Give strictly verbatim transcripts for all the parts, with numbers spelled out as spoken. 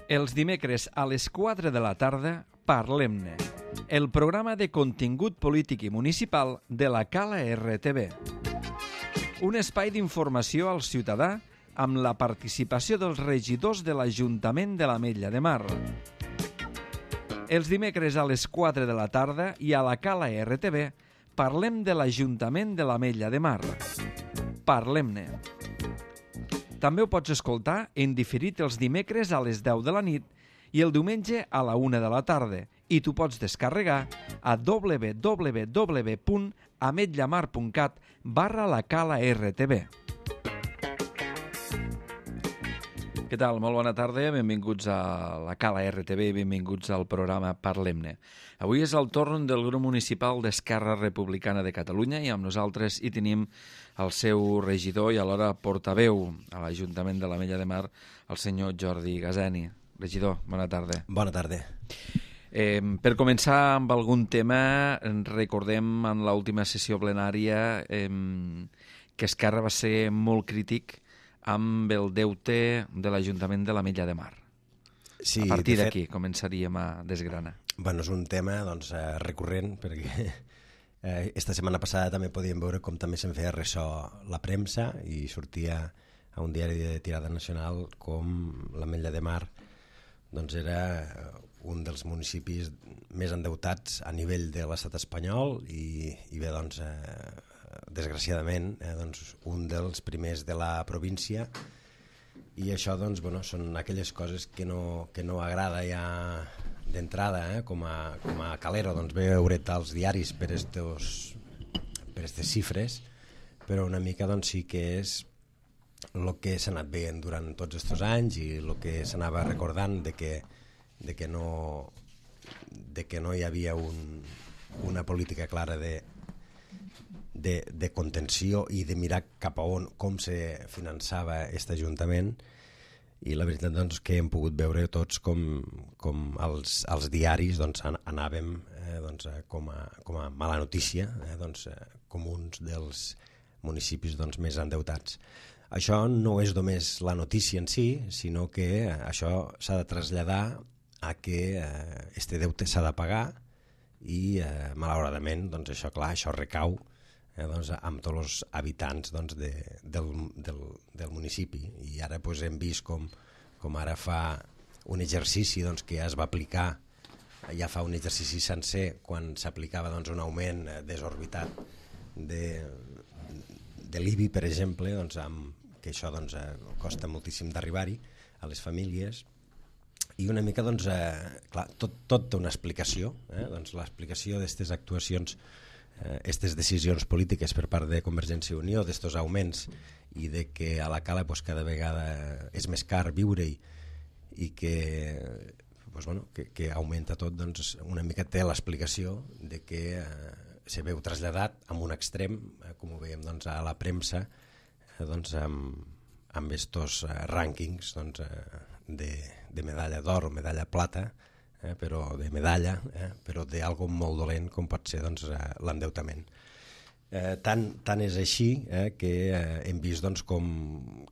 Els dimecres a les quatre de la tarda, Parlem-ne, el programa de contingut polític i municipal de la Cala R T V. Un espai d'informació al ciutadà amb la participació dels regidors de l'Ajuntament de l'Ametlla de Mar. Els dimecres a les quatre de la tarda i a la Cala R T V parlem de l'Ajuntament de l'Ametlla de Mar. Parlem-ne. També ho pots escoltar en diferit els dimecres a les deu de la nit i el diumenge a la una de la tarda, i tu pots descarregar a w w w punt ametllamar punt cat barra la Cala R T V. Què tal? Molt bona tarda, benvinguts a la Cala R T V i benvinguts al programa Parlem-ne. Avui és el torn del grup municipal d'Esquerra Republicana de Catalunya i amb nosaltres hi tenim el seu regidor i alhora portaveu a l'Ajuntament de l'Ametlla de Mar, el senyor Jordi Gazeni. Regidor, bona tarda. Bona tarda. Eh, per començar amb algun tema, recordem en l'última sessió plenària eh, que Esquerra va ser molt crític amb el deute de l'Ajuntament de l'Ametlla de Mar. Sí, a partir de d'aquí fet, començaríem a desgranar. Bueno, és un tema doncs, eh, recurrent, perquè eh, esta setmana passada també podíem veure com també se'n feia ressò la premsa i sortia a un diari de tirada nacional com l'Ametlla de Mar doncs era un dels municipis més endeutats a nivell de l'estat espanyol i, i bé, doncs, eh, desgraciadament, eh, doncs, un dels primers de la província, i això doncs, bueno, són aquelles coses que no, que no agrada ja d'entrada, eh, com, a, com a calero, doncs, veure als diaris per estos, per estes xifres, però una mica doncs, sí que és el que s'ha anat veient durant tots aquests anys i el que s'anava recordant de que, de que, no, de que no hi havia un, una política clara de, de, de contenció i de mirar cap a on, com se finançava aquest Ajuntament, i la veritat doncs, que hem pogut veure tots com, com els, els diaris doncs, anàvem eh, doncs, com, a, com a mala notícia, eh, doncs, com uns dels municipis doncs, més endeutats. Això no és només la notícia en si, sinó que això s'ha de traslladar a que eh, este deute s'ha de pagar i eh, malauradament doncs, això, clar, això recau eh, doncs, amb tots els habitants doncs, de, del, del, del municipi, i ara doncs, hem vist com, com ara fa un exercici doncs, que ja es va aplicar, ja fa un exercici sencer quan s'aplicava doncs, un augment desorbitat de de l'I B I, per exemple, doncs, amb, que això doncs, eh, costa moltíssim d'arribar-hi a les famílies, i una mica doncs, eh, clar, tot, tot té una explicació, eh? Doncs, l'explicació d'aquestes actuacions, aquestes eh, decisions polítiques per part de Convergència i Unió, d'estos augments, i de que a la Cala pues, cada vegada és més car viure-hi i que, pues, bueno, que, que augmenta tot, doncs, una mica té l'explicació de que eh, se veu traslladat amb un extrem, eh, com ho veiem doncs, a la premsa, eh, doncs, amb, amb estos eh, rànquings doncs, eh, de, de medalla d'or o medalla plata, eh, però de medalla, eh, però d'algo molt dolent com pot ser doncs, eh, l'endeutament. Eh, tant, tant és així eh, que eh, hem vist doncs, com,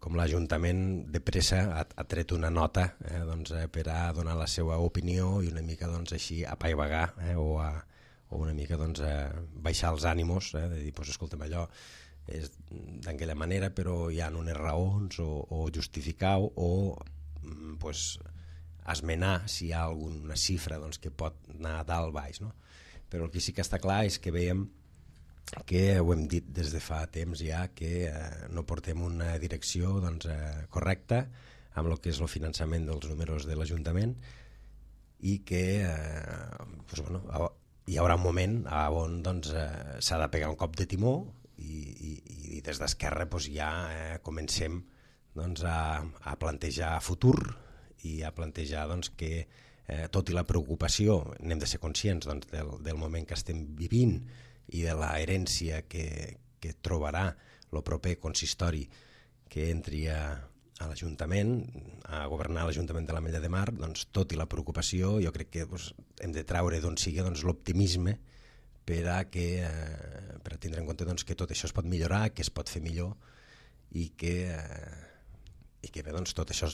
com l'Ajuntament de pressa ha, ha tret una nota eh, doncs, eh, per a donar la seva opinió i una mica doncs, així apaivagar eh, o a o una mica doncs, eh, baixar els ànimos, eh, de dir, pues, escolta'm, allò és d'aquella manera, però hi ha unes raons, o, o justificar o pues, esmenar si hi ha alguna xifra doncs, que pot anar a dalt baix. No? Però el que sí que està clar és que veiem que ho hem dit des de fa temps ja, que eh, no portem una direcció doncs, eh, correcta amb el que és el finançament dels números de l'Ajuntament, i que eh, pues, bueno, hi haurà un moment on doncs, eh, s'ha de pegar un cop de timó i, i, i des d'Esquerra doncs, ja eh, comencem doncs, a, a plantejar futur i a plantejar doncs, que eh, tot i la preocupació n'hem de ser conscients doncs, del, del moment que estem vivint i de la herència que, que trobarà el proper consistori que entri a a l'Ajuntament, a governar l'Ajuntament de l'Ametlla de Mar, doncs, tot i la preocupació, jo crec que doncs, hem de traure d'on sigui doncs, l'optimisme per a, que, eh, per a tindre en compte doncs, que tot això es pot millorar, que es pot fer millor i que eh, i que bé, doncs, tot això,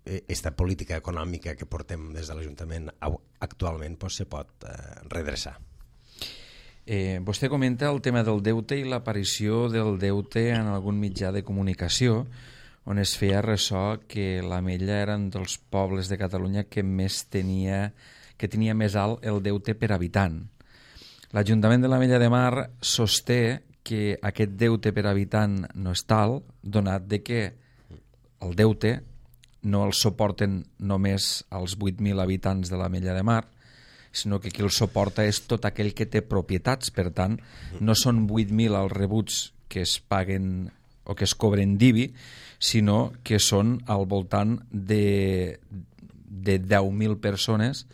aquesta política econòmica que portem des de l'Ajuntament actualment doncs, se pot eh, redreçar. Eh, vostè comenta el tema del deute i l'aparició del deute en algun mitjà de comunicació, on es feia ressò que l'Ametlla era un dels pobles de Catalunya que més tenia, que tenia més alt el deute per habitant. L'Ajuntament de l'Ametlla de Mar sosté que aquest deute per habitant no és tal, donat de que el deute no el suporten només els vuit mil habitants de l'Ametlla de Mar, sinó que qui el suporta és tot aquell que té propietats. Per tant, no són vuit mil els rebuts que es paguen o que es cobren d'I B I, sinó que són al voltant de, de deu mil persones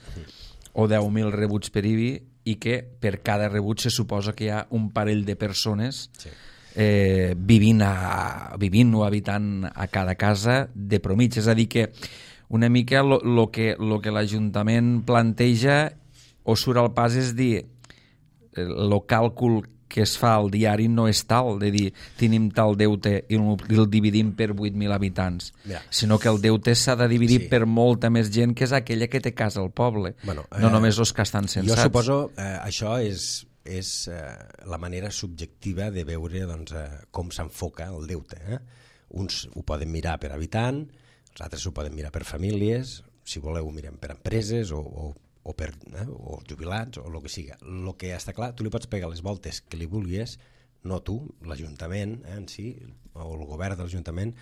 o deu mil rebuts per I B I, i que per cada rebut se suposa que hi ha un parell de persones sí. eh, vivint, a, vivint o habitant a cada casa de promig. És a dir, que una mica el que, lo que l'Ajuntament planteja o surt al pas és dir el càlcul que es fa al diari no és tal, de dir tenim tal deute i el dividim per vuit mil habitants, ja. Sinó que el deute s'ha de dividir sí. per molta més gent, que és aquella que té casa al poble, bueno, eh, no només els que estan censats. Jo suposo eh, això és, és eh, la manera subjectiva de veure doncs, eh, com s'enfoca el deute. Eh? Uns ho poden mirar per habitant, els altres ho poden mirar per famílies, si voleu ho mirem per empreses o, o o, per, eh, o jubilats, o el que siga. El que està clar, tu li pots pegar les voltes que li vulguis, no tu, l'Ajuntament eh, en si, o el govern de l'Ajuntament,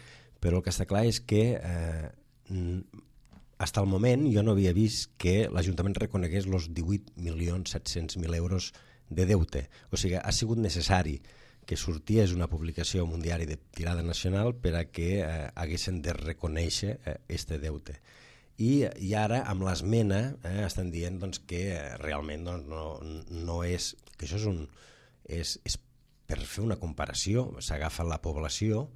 però el que està clar és que eh, fins al moment jo no havia vist que l'Ajuntament reconegués els divuit milions set-cents mil euros de deute. O sigui, ha sigut necessari que sorties una publicació en un diari de tirada nacional per a que eh, haguessin de reconèixer eh, este deute. I, i ara amb l'esmena eh, estan dient doncs, que realment doncs, no, no és, que això és, un, és, és per fer una comparació, s'agafa la població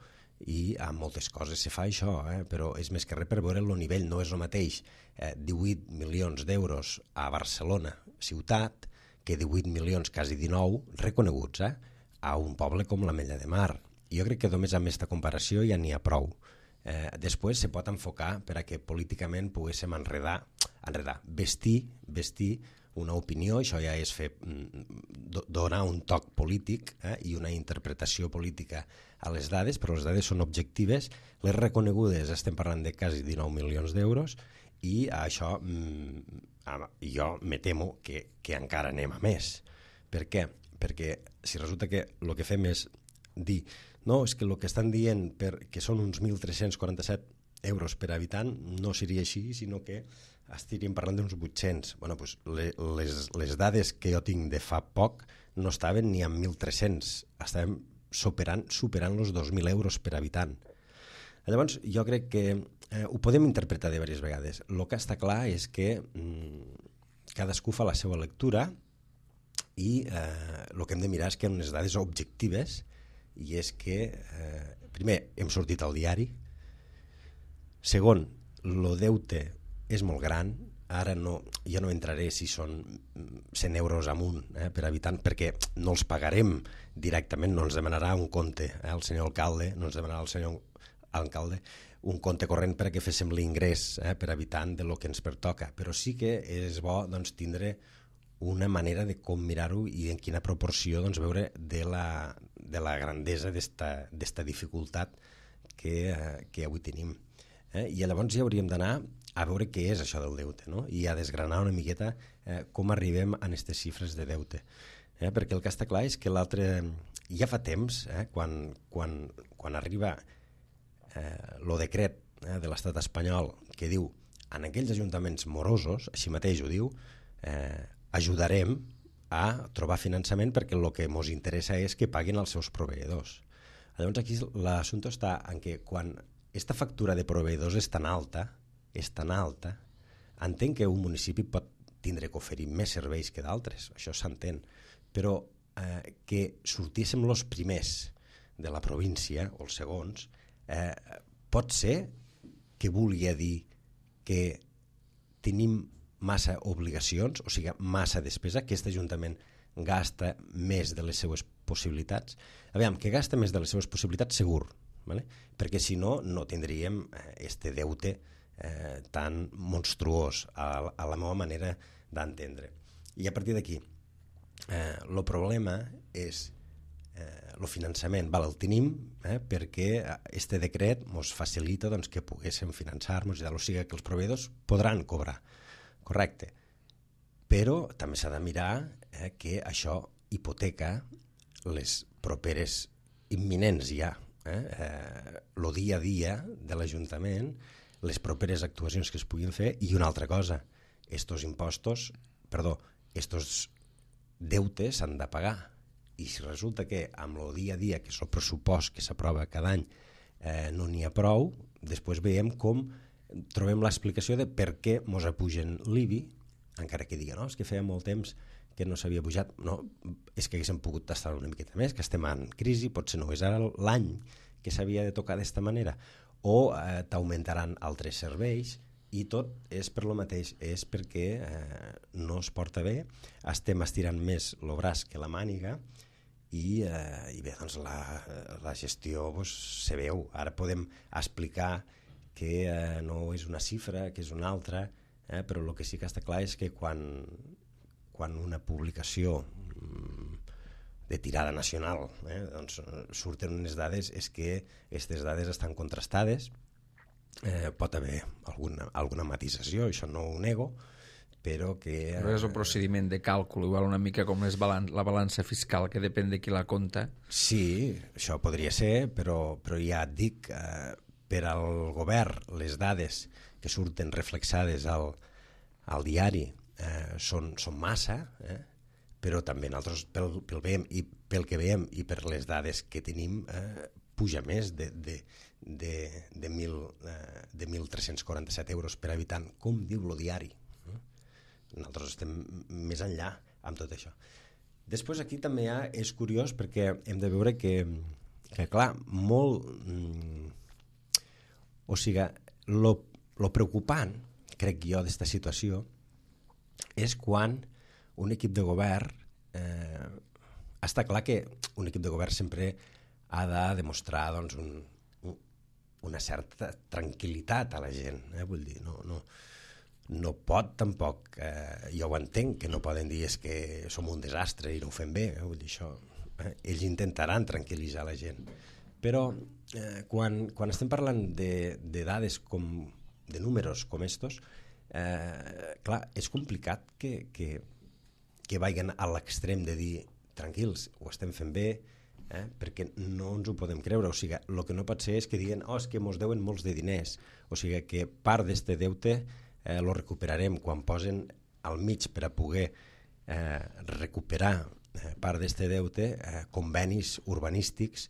i amb moltes coses se fa això, eh, però és més que res per veure el nivell, no és el mateix eh, divuit milions d'euros a Barcelona ciutat que divuit milions, quasi dinou, reconeguts eh, a un poble com l'Ametlla de Mar. I jo crec que només amb aquesta comparació ja n'hi ha prou. Eh, després se pot enfocar per a que políticament poguéssim enredar, enredar vestir, vestir una opinió, això ja és fer, donar un toc polític eh, i una interpretació política a les dades, però les dades són objectives, les reconegudes estem parlant de quasi dinou milions d'euros i això mm, jo me temo que, que encara anem a més. Per què? Perquè si resulta que el que fem és dir no, és que el que estan dient per, que són uns mil tres-cents quaranta-set euros per habitant no seria així, sinó que estaríem parlant d'uns vuit-cents. Bueno, doncs les, les dades que jo tinc de fa poc no estaven ni amb mil tres-cents, estàvem superant, superant els dos mil euros per habitant. Llavors, jo crec que eh, ho podem interpretar de diverses vegades. El que està clar és que mm, cadascú fa la seva lectura i eh, el que hem de mirar és que hi ha unes dades objectives i és que, eh, primer, hem sortit al diari, segon, el deute és molt gran, ara no, jo no entraré si són cent euros amunt eh, per habitant, perquè no els pagarem directament, no ens demanarà un compte, eh, el senyor alcalde, no ens demanarà el senyor alcalde un compte corrent perquè féssim l'ingrés eh, per habitant de lo que ens pertoca, però sí que és bo doncs, tindre una manera de com mirar-ho i en quina proporció doncs, veure de la, de la grandesa d'esta dificultat que, eh, que avui tenim. Eh? I llavors ja hauríem d'anar a veure què és això del deute, no? I a desgranar una miqueta eh, com arribem a aquestes xifres de deute. Eh? Perquè el que està clar és que l'altre... Ja fa temps, eh, quan, quan, quan arriba eh, el decret eh, de l'estat espanyol que diu en aquells ajuntaments morosos, així mateix ho diu, eh, ajudarem a trobar finançament perquè el que ens interessa és que paguin els seus proveïdors. Llavors aquí l'assumpte està en que quan aquesta factura de proveïdors és tan alta, és tan alta, entenc que un municipi pot tindre que oferir més serveis que d'altres, això s'entén, però eh, que sortíssim els primers de la província, o els segons, eh, pot ser que vulgui dir que tenim massa obligacions, o sigui, massa despesa, que aquest Ajuntament gasta més de les seues possibilitats. Aviam, que gasta més de les seues possibilitats, segur, ¿vale? Perquè si no, no tindríem este deute eh, tan monstruós a, a la meva manera d'entendre. I a partir d'aquí, eh, el problema és eh, el finançament. Val, el tenim eh, perquè este decret ens facilita doncs, que poguéssim finançar-nos, o sigui que els proveïdors podran cobrar, correcte. Però també s'ha de mirar eh, que això hipoteca les properes imminents ja, eh, eh, el dia a dia de l'Ajuntament, les properes actuacions que es puguin fer, i una altra cosa, estos impostos, perdó, estos deutes s'han de pagar, i si resulta que amb el dia a dia, que és el pressupost que s'aprova cada any, eh, no n'hi ha prou, després veiem com trobem l'explicació de per què mos apugen l'I B I, encara que diguen, no, és que feia molt temps que no s'havia pujat, no, és que haguéssim pogut tastar una miqueta més, que estem en crisi, potser no és ara l'any que s'havia de tocar d'esta manera, o eh, t'augmentaran altres serveis, i tot és per lo mateix, és perquè eh, no es porta bé, estem estirant més el braç que la màniga, i, eh, i bé, doncs la, la gestió pues, se veu. Ara podem explicar que eh, no és una xifra, que és una altra, eh, però el que sí que està clar és que quan, quan una publicació de tirada nacional eh, doncs, surten unes dades, és que aquestes dades estan contrastades, eh, pot haver alguna, alguna matisació, això no ho nego, però que... Però és un procediment de càlcul, igual una mica com és balan la balança fiscal, que depèn de qui la compta. Sí, això podria ser, però, però ja et dic, eh, per al govern les dades que surten reflexades al, al diari eh, són, són massa, eh, però també nosaltres pel, pel veiem i pel que veiem i per les dades que tenim eh, puja més de, de, de, de, mil, eh, de mil tres-cents quaranta-set euros per habitant, com diu el diari. Nosaltres estem més enllà amb tot això. Després aquí també ha, és curiós perquè hem de veure que, que clar, molt... Mm, o sigui, lo, lo preocupant, crec jo, d'esta situació, és quan un equip de govern... Eh, està clar que un equip de govern sempre ha de demostrar doncs, un, un, una certa tranquil·litat a la gent. Eh? Vull dir, no... no no pot tampoc, eh, jo ho entenc, que no poden dir és que som un desastre i no ho fem bé, eh? Vull dir això, eh? Ells intentaran tranquil·litzar la gent, però eh, quan, quan estem parlant de, de dades com, de números com estos, eh, clar, és complicat que, que, que vagin a l'extrem de dir tranquils, ho estem fent bé, eh? Perquè no ens ho podem creure, o sigui, el que no pot ser és que diguen, oh, és que mos deuen molts de diners, o sigui que part d'este deute Eh, lo recuperarem quan posen al mig per a poder eh, recuperar eh, part d'este deute eh, convenis urbanístics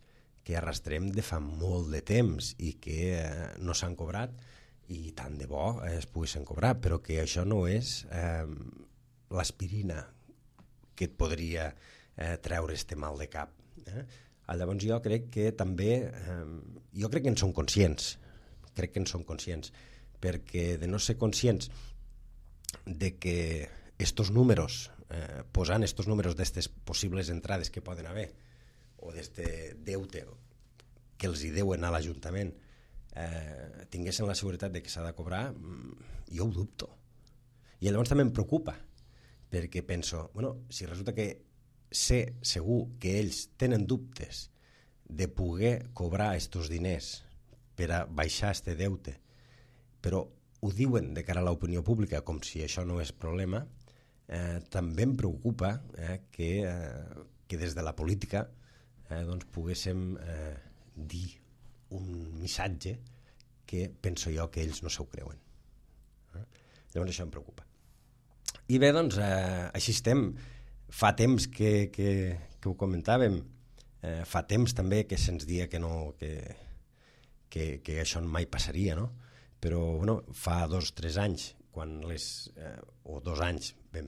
que arrastrem de fa molt de temps i que eh, no s'han cobrat i tant de bo eh, es poguessin cobrar, però que això no és eh, l'aspirina que et podria eh, treure este mal de cap. Eh? Llavors jo crec que també, eh, jo crec que en som conscients, crec que en som conscients, perquè de no ser conscients de que estos números, eh, posant estos números d'estes possibles entrades que poden haver, o d'este deute que els hi deuen a l'Ajuntament, eh, tinguessin la seguretat de que s'ha de cobrar, jo ho dubto. I llavors també em preocupa, perquè penso, bueno, si resulta que sé segur que ells tenen dubtes de poder cobrar estos diners per a baixar este deute, però ho diuen de cara a l'opinió pública com si això no és problema, eh, també em preocupa eh, que, eh, que des de la política eh, doncs poguéssim eh, dir un missatge que penso jo que ells no s'ho creuen. Eh? Llavors això em preocupa. I bé, doncs, eh, així estem. Fa temps que, que, que ho comentàvem, eh, fa temps també que se'ns dia que, no, que, que, que això mai passaria, no? Però bueno, fa dos o tres anys, quan les, eh, o dos anys ben,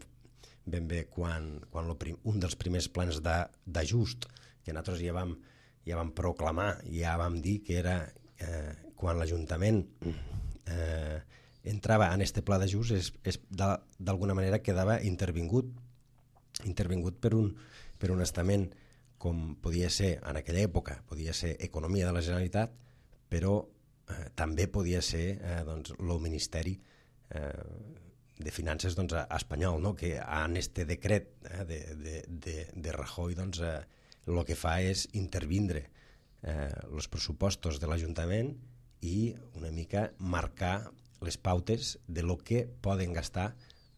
ben bé, quan, quan lo prim, un dels primers plans d'ajust que nosaltres ja vam, ja vam proclamar, ja vam dir que era eh, quan l'Ajuntament eh, entrava en este pla d'ajust, és, és d'alguna manera quedava intervingut, intervingut per un, per un estament com podia ser en aquella època, podia ser economia de la Generalitat, però eh, també podia ser eh, doncs, el Ministeri eh, de Finances doncs, espanyol, no? Que en este decret eh, de, de, de, de Rajoy doncs, eh, el que fa és intervindre els eh, pressupostos de l'Ajuntament i una mica marcar les pautes de lo que poden gastar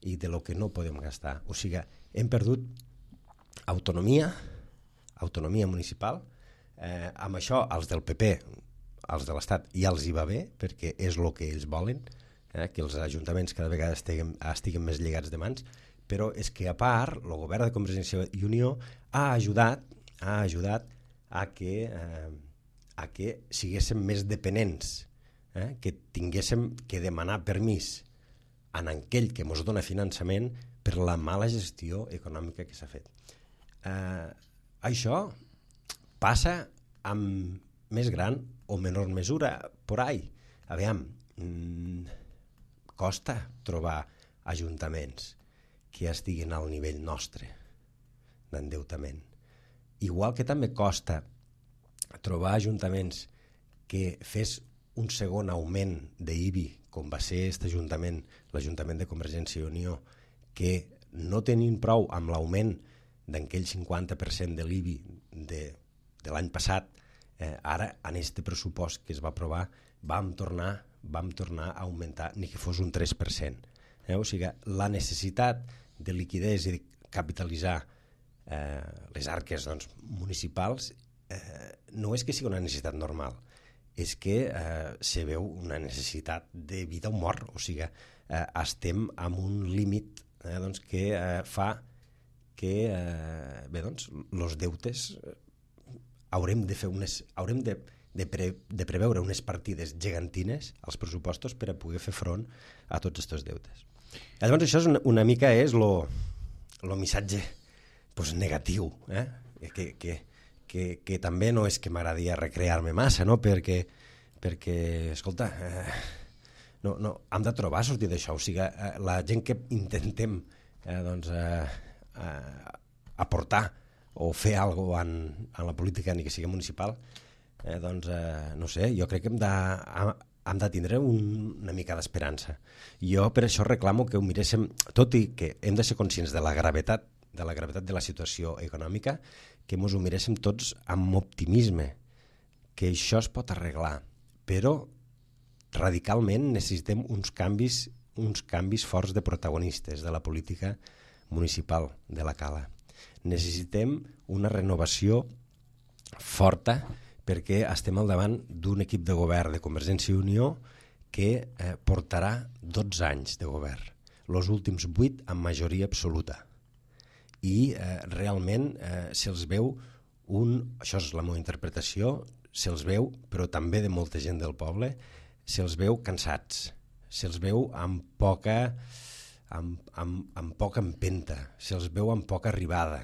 i de lo que no podem gastar. O sigui, hem perdut autonomia, autonomia municipal. Eh, amb això, els del P P, els de l'Estat, ja els hi va bé, perquè és el que ells volen, eh, que els ajuntaments cada vegada estiguin, estiguin més lligats de mans, però és que, a part, el govern de Convergència i Unió ha ajudat, ha ajudat a que, eh, a que siguéssim més dependents, eh, que tinguéssim que demanar permís en aquell que ens dona finançament per la mala gestió econòmica que s'ha fet. Eh, això passa amb més gran o menor mesura por ahí. Aviam, mmm, costa trobar ajuntaments que estiguin al nivell nostre d'endeutament. Igual que també costa trobar ajuntaments que fes un segon augment d'I B I, com va ser aquest ajuntament, l'Ajuntament de Convergència i Unió, que no tenint prou amb l'augment d'aquell cinquanta per cent de l'I B I de, de l'any passat, eh, ara en aquest pressupost que es va aprovar vam tornar, vam tornar a augmentar ni que fos un tres per cent. Eh? O sigui, la necessitat de liquidez i de capitalitzar eh, les arques doncs, municipals eh, no és que sigui una necessitat normal, és que eh, se veu una necessitat de vida o mort, o sigui, eh, estem amb un límit eh, doncs, que eh, fa que eh, bé, doncs, els deutes eh, haurem de fer unes, haurem de, de, pre, de preveure unes partides gegantines als pressupostos per a poder fer front a tots aquests deutes. Llavors això és una, una mica és el missatge pues, negatiu, eh? que, que, que, que també no és que m'agradaria recrear-me massa, no? perquè, perquè escolta, eh, no, no, hem de trobar sortir d'això, o sigui, eh, la gent que intentem eh, doncs, eh, eh, aportar o fer alguna cosa en, en la política, ni que sigui municipal, eh, doncs, eh, no sé, jo crec que hem de, hem de tindre un, una mica d'esperança. Jo per això reclamo que ho miréssim, tot i que hem de ser conscients de la gravetat de la gravetat de la situació econòmica, que ens ho miréssim tots amb optimisme, que això es pot arreglar, però radicalment necessitem uns canvis, uns canvis forts de protagonistes de la política municipal de la Cala. Necessitem una renovació forta perquè estem al davant d'un equip de govern de Convergència i Unió que eh, portarà dotze anys de govern, els últims vuit amb majoria absoluta. I eh, realment eh, se'ls veu un, això és la meva interpretació, se'ls veu, però també de molta gent del poble, se'ls veu cansats, se'ls veu amb poca, amb, amb, amb poca empenta, se'ls veu amb poca arribada,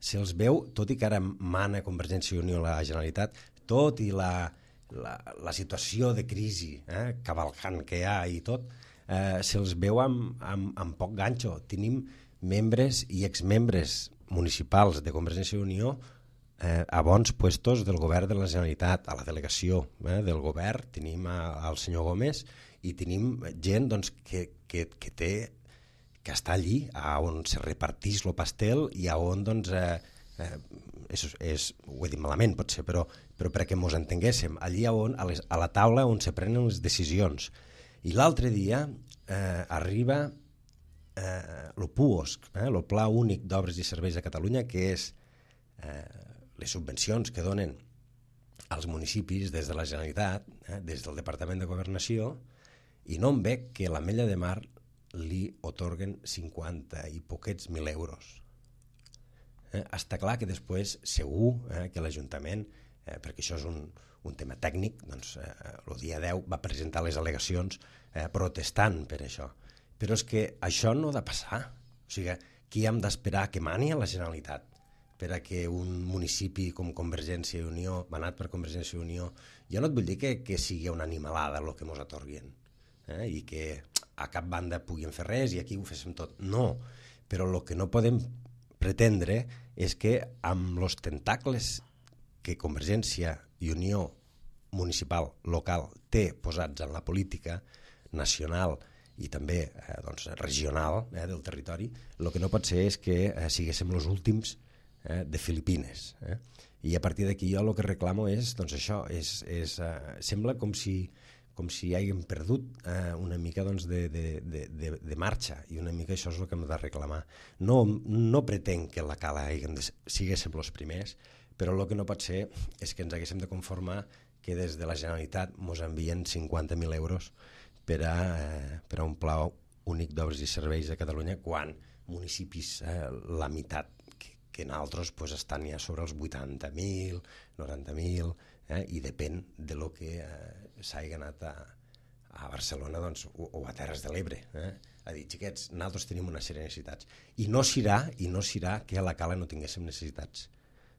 se'ls veu, tot i que ara mana Convergència i Unió a la Generalitat, tot i la, la, la situació de crisi eh, cavalcant que hi ha i tot, eh, se'ls veu amb, amb, amb poc ganxo. Tenim membres i exmembres municipals de Convergència i Unió eh, a bons puestos del govern de la Generalitat, a la delegació eh, del govern, tenim al senyor Gómez i tenim gent doncs, que, que, que té que està allí a on se repartís el pastel i a on doncs, eh, eh, és, és, ho he dit malament potser, però, però perquè ens entenguéssim, allí a, on, a, les, a la taula on se prenen les decisions. I l'altre dia eh, arriba eh, el P U O S C, eh, el Pla Únic d'Obres i Serveis de Catalunya, que és eh, les subvencions que donen als municipis des de la Generalitat, eh, des del Departament de Governació, i no em veig que l'Ametlla de Mar li otorguen cinquanta i poquets mil euros. Eh, està clar que després segur eh, que l'Ajuntament, eh, perquè això és un, un tema tècnic, doncs eh, el dia deu va presentar les al·legacions eh, protestant per això. Però és que això no ha de passar. O sigui, qui hem d'esperar que mani a la Generalitat per a que un municipi com Convergència i Unió, manat per Convergència i Unió, jo no et vull dir que, que sigui una animalada el que ens atorguen eh, i que a cap banda puguin fer res i aquí ho féssim tot. No, però el que no podem pretendre és que amb els tentacles que Convergència i Unió municipal, local, té posats en la política nacional i també eh, doncs, regional eh, del territori, el que no pot ser és que eh, siguéssim els últims eh, de Filipines. Eh? I a partir d'aquí jo el que reclamo és, doncs això, és, és, eh, sembla com si, com si haguem perdut eh, una mica doncs, de, de, de, de, de marxa, i una mica això és el que hem de reclamar. No, no pretenc que la cala haguem de, siguéssim els primers, però el que no pot ser és que ens haguéssim de conformar que des de la Generalitat ens envien cinquanta mil euros per a, eh, per a un pla únic d'obres i serveis de Catalunya, quan municipis, eh, la meitat que, que nosaltres pues, estan ja sobre els vuitanta mil, noranta mil, eh, i depèn de lo que eh, s'hagi anat a, a Barcelona doncs, o, o a Terres de l'Ebre. Eh? A dir, xiquets, nosaltres tenim una sèrie de necessitats. I no serà, i no serà que a la cala no tinguéssim necessitats.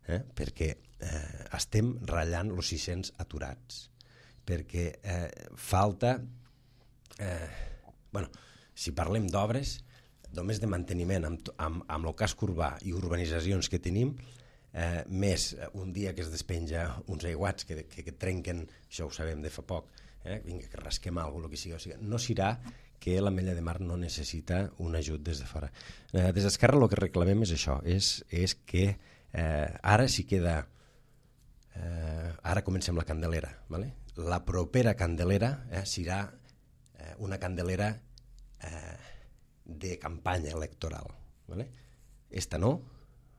Eh? Perquè eh, estem ratllant els sis-cents aturats, perquè eh, falta eh, bueno, si parlem d'obres només de manteniment amb, amb, amb el casc urbà i urbanitzacions que tenim, eh, més un dia que es despenja uns aiguats que, que, que trenquen, això ho sabem de fa poc, eh? Vinga, que rasquem alguna cosa, que sigui, o sigui, no serà que l'Ametlla de Mar no necessita un ajut des de fora. Eh, des d'Esquerra el que reclamem és això, és, és que Eh, ara sí queda eh, ara comencem la Candelera, ¿vale? La propera Candelera eh, serà eh, una Candelera eh, de campanya electoral, ¿vale? Esta no,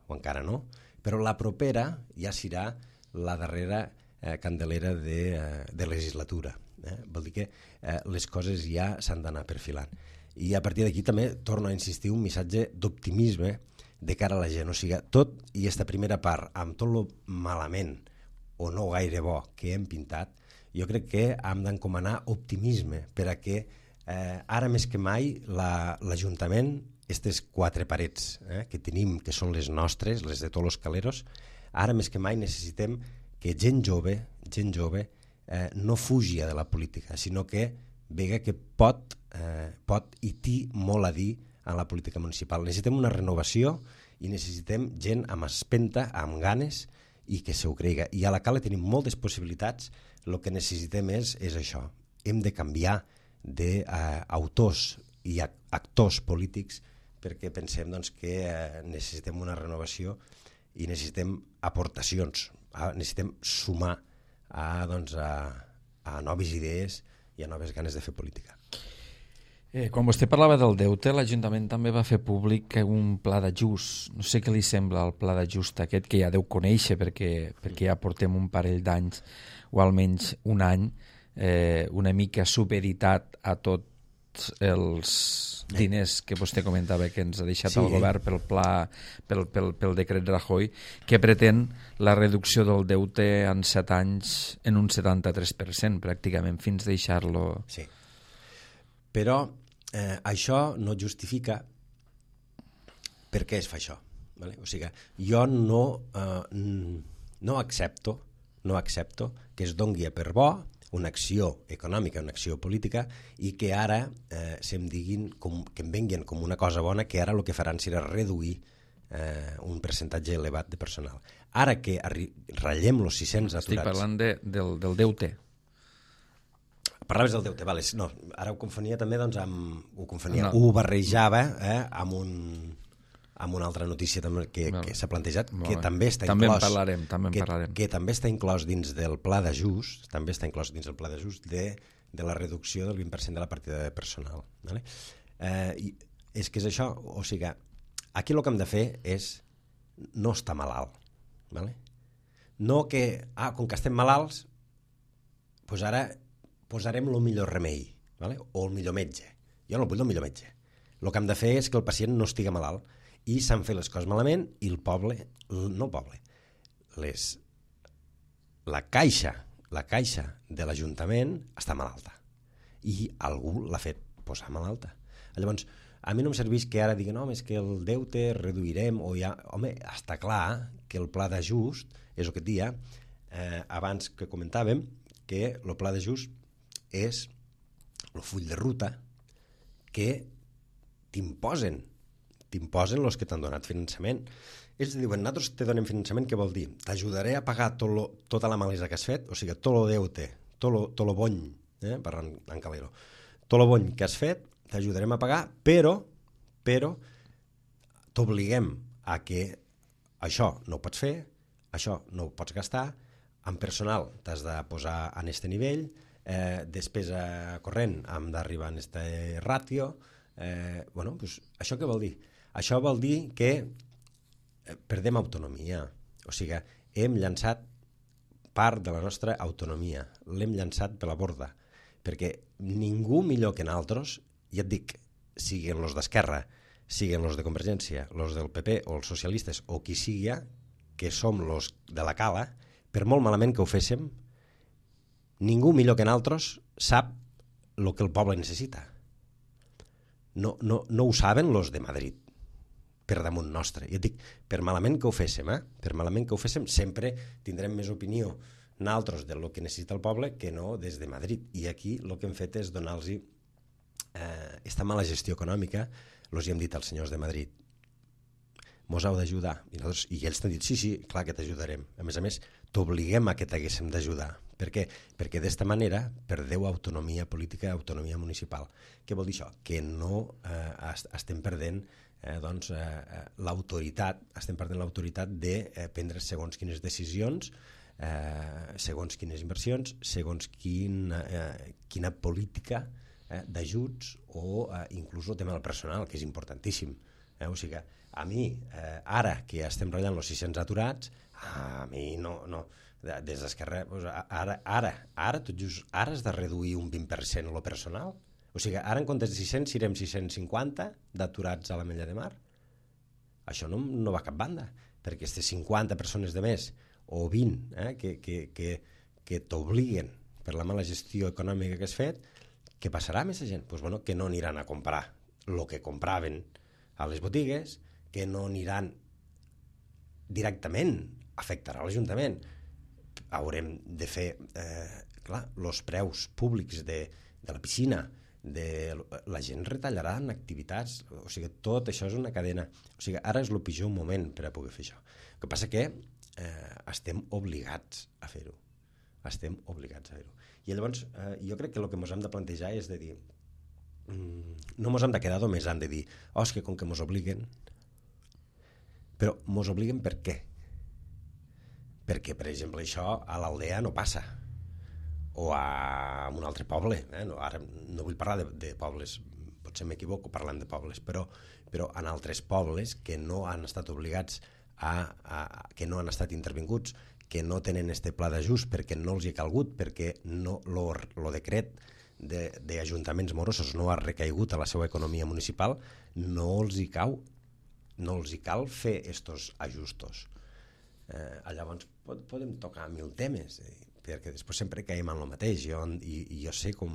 o encara no, però la propera ja serà la darrera eh, Candelera de, eh, de legislatura, eh? Vol dir que eh, les coses ja s'han d'anar perfilant, i a partir d'aquí també torno a insistir un missatge d'optimisme de cara a la gent, o sigui, tot i esta primera part, amb tot lo malament o no gaire bo que hem pintat, jo crec que hem d'encomanar optimisme per a que eh, ara més que mai la, l'Ajuntament, aquestes quatre parets eh, que tenim, que són les nostres, les de tots els caleros, ara més que mai necessitem que gent jove, gent jove eh, no fugi de la política, sinó que vega que pot, eh, pot i té molt a dir en la política municipal. Necessitem una renovació i necessitem gent amb espenta, amb ganes, i que se ho creiga. I a la Cala tenim moltes possibilitats, el que necessitem és, és això. Hem de canviar d'autors i actors polítics perquè pensem doncs, que eh, necessitem una renovació i necessitem aportacions, a, necessitem sumar a, doncs, a, a noves idees i a noves ganes de fer política. Eh, quan vostè parlava del deute, l'Ajuntament també va fer públic un pla d'ajust. No sé què li sembla el pla d'ajust aquest, que ja deu conèixer perquè, perquè ja portem un parell d'anys, o almenys un any, eh, una mica supeditat a tots els diners que vostè comentava que ens ha deixat sí. el govern pel pla, pel, pel, pel decret Rajoy, que pretén la reducció del deute en set anys en un setanta-tres per cent, pràcticament, fins deixar-lo... Sí. Però eh, això no justifica per què es fa això. Vale? O sigui, jo no, eh, no accepto no accepto que es dongui per bo una acció econòmica, una acció política, i que ara eh, se'm diguin com, que em venguin com una cosa bona, que ara el que faran serà reduir eh, un percentatge elevat de personal. Ara que ratllem els sis-cents aturats... Estic parlant de, del, del deute. Parlaves del deute, vale. No, ara ho confonia també doncs, amb... Ho, confonia, no. ho barrejava eh, amb un... amb una altra notícia també que, no. que s'ha plantejat, no. que també està també inclòs... En parlarem, també en que, parlarem. Que també està inclòs dins del pla d'ajust, també està inclòs dins del pla d'ajust de, de la reducció del vint per cent de la partida de personal. Vale? Eh, i és que és això, o sigui, aquí el que hem de fer és no estar malalt. Vale? No que, ah, com que estem malalts, doncs ara posarem el millor remei, vale? O el millor metge. Jo no vull el millor metge. El que hem de fer és que el pacient no estigui malalt, i s'han fet les coses malament i el poble, no el poble, les, la caixa, la caixa de l'Ajuntament està malalta i algú l'ha fet posar malalta. Llavors, a mi no em serveix que ara diguin, no, és que el deute reduirem, o ja... Home, està clar que el pla d'ajust, és el que et dia, eh, abans que comentàvem, que el pla d'ajust és el full de ruta que t'imposen t'imposen els que t'han donat finançament. Ells diuen, nosaltres te donem finançament, què vol dir? T'ajudaré a pagar tot lo, tota la malesa que has fet, o sigui, tot lo deute, tot lo, tot lo bony, eh, parlant en Calero, tot lo bony que has fet, t'ajudarem a pagar, però, però t'obliguem a que això no ho pots fer, això no ho pots gastar, en personal t'has de posar en este nivell, eh, despesa corrent hem d'arribar en este ràtio, eh, bueno, pues, això què vol dir? Això vol dir que perdem autonomia, o sigui, hem llançat part de la nostra autonomia, l'hem llançat per la borda, perquè ningú millor que nosaltres, ja et dic, siguin els d'Esquerra, siguin els de Convergència, els del P P o els socialistes, o qui sigui, que som els de la cala, per molt malament que ho féssim, ningú millor que nosaltres sap el que el poble necessita. No, no, no ho saben els de Madrid, per damunt nostre. Jo dic, per malament que ho féssim, eh? per malament que ho féssim, sempre tindrem més opinió nosaltres del que necessita el poble que no des de Madrid. I aquí el que hem fet és donar-los eh, esta mala gestió econòmica, els hi hem dit als senyors de Madrid, mos heu d'ajudar. I, I ells t'han dit, sí, sí, clar que t'ajudarem. A més a més, t'obliguem a que t'haguéssim d'ajudar. Per què? Perquè d'esta manera perdeu autonomia política, autonomia municipal. Què vol dir això? Que no eh, estem perdent eh, doncs, eh, l'autoritat, estem perdent l'autoritat de eh, prendre segons quines decisions, eh, segons quines inversions, segons quin, eh, quina política eh, d'ajuts o eh, inclús el tema del personal, que és importantíssim. Eh? O sigui, a mi, eh, ara que estem ratllant els sis-cents aturats, a mi no, no des d'Esquerra, doncs ara, ara, ara, tot just, ara has de reduir un vint per cent el personal? O sigui, ara en comptes de sis-cents serem sis-cents cinquanta d'aturats a l'Ametlla de Mar? Això no, no va a cap banda, perquè aquestes cinquanta persones de més, o vint, eh, que, que, que, que t'obliguen per la mala gestió econòmica que has fet, què passarà amb aquesta gent? Pues, bueno, que no aniran a comprar el que compraven a les botigues, que no aniran directament, afectarà l'Ajuntament. Haurem de fer, eh, clar, els preus públics de, de la piscina, de, la gent retallarà en activitats, o sigui, tot això és una cadena. O sigui, ara és el pitjor moment per a poder fer això. El que passa que eh, estem obligats a fer-ho. Estem obligats a fer-ho. I llavors, eh, jo crec que el que ens hem de plantejar és de dir, mm, no ens hem de quedar només en de dir, oh, és que com que ens obliguen, però ens obliguen per què? Perquè, per exemple, això a l'Aldea no passa, o a un altre poble, eh? no, ara no vull parlar de, de pobles, potser m'equivoco parlant de pobles, però, però en altres pobles que no han estat obligats, a, a, que no han estat intervinguts, que no tenen este pla d'ajust perquè no els hi ha calgut, perquè no, lo, lo decret d'ajuntaments de, morosos no ha recaigut a la seva economia municipal, no els hi cau, no els hi cal fer estos ajustos. Eh, llavors pot, podem tocar mil temes, eh, perquè després sempre caiem en el mateix, jo, i, i jo sé com,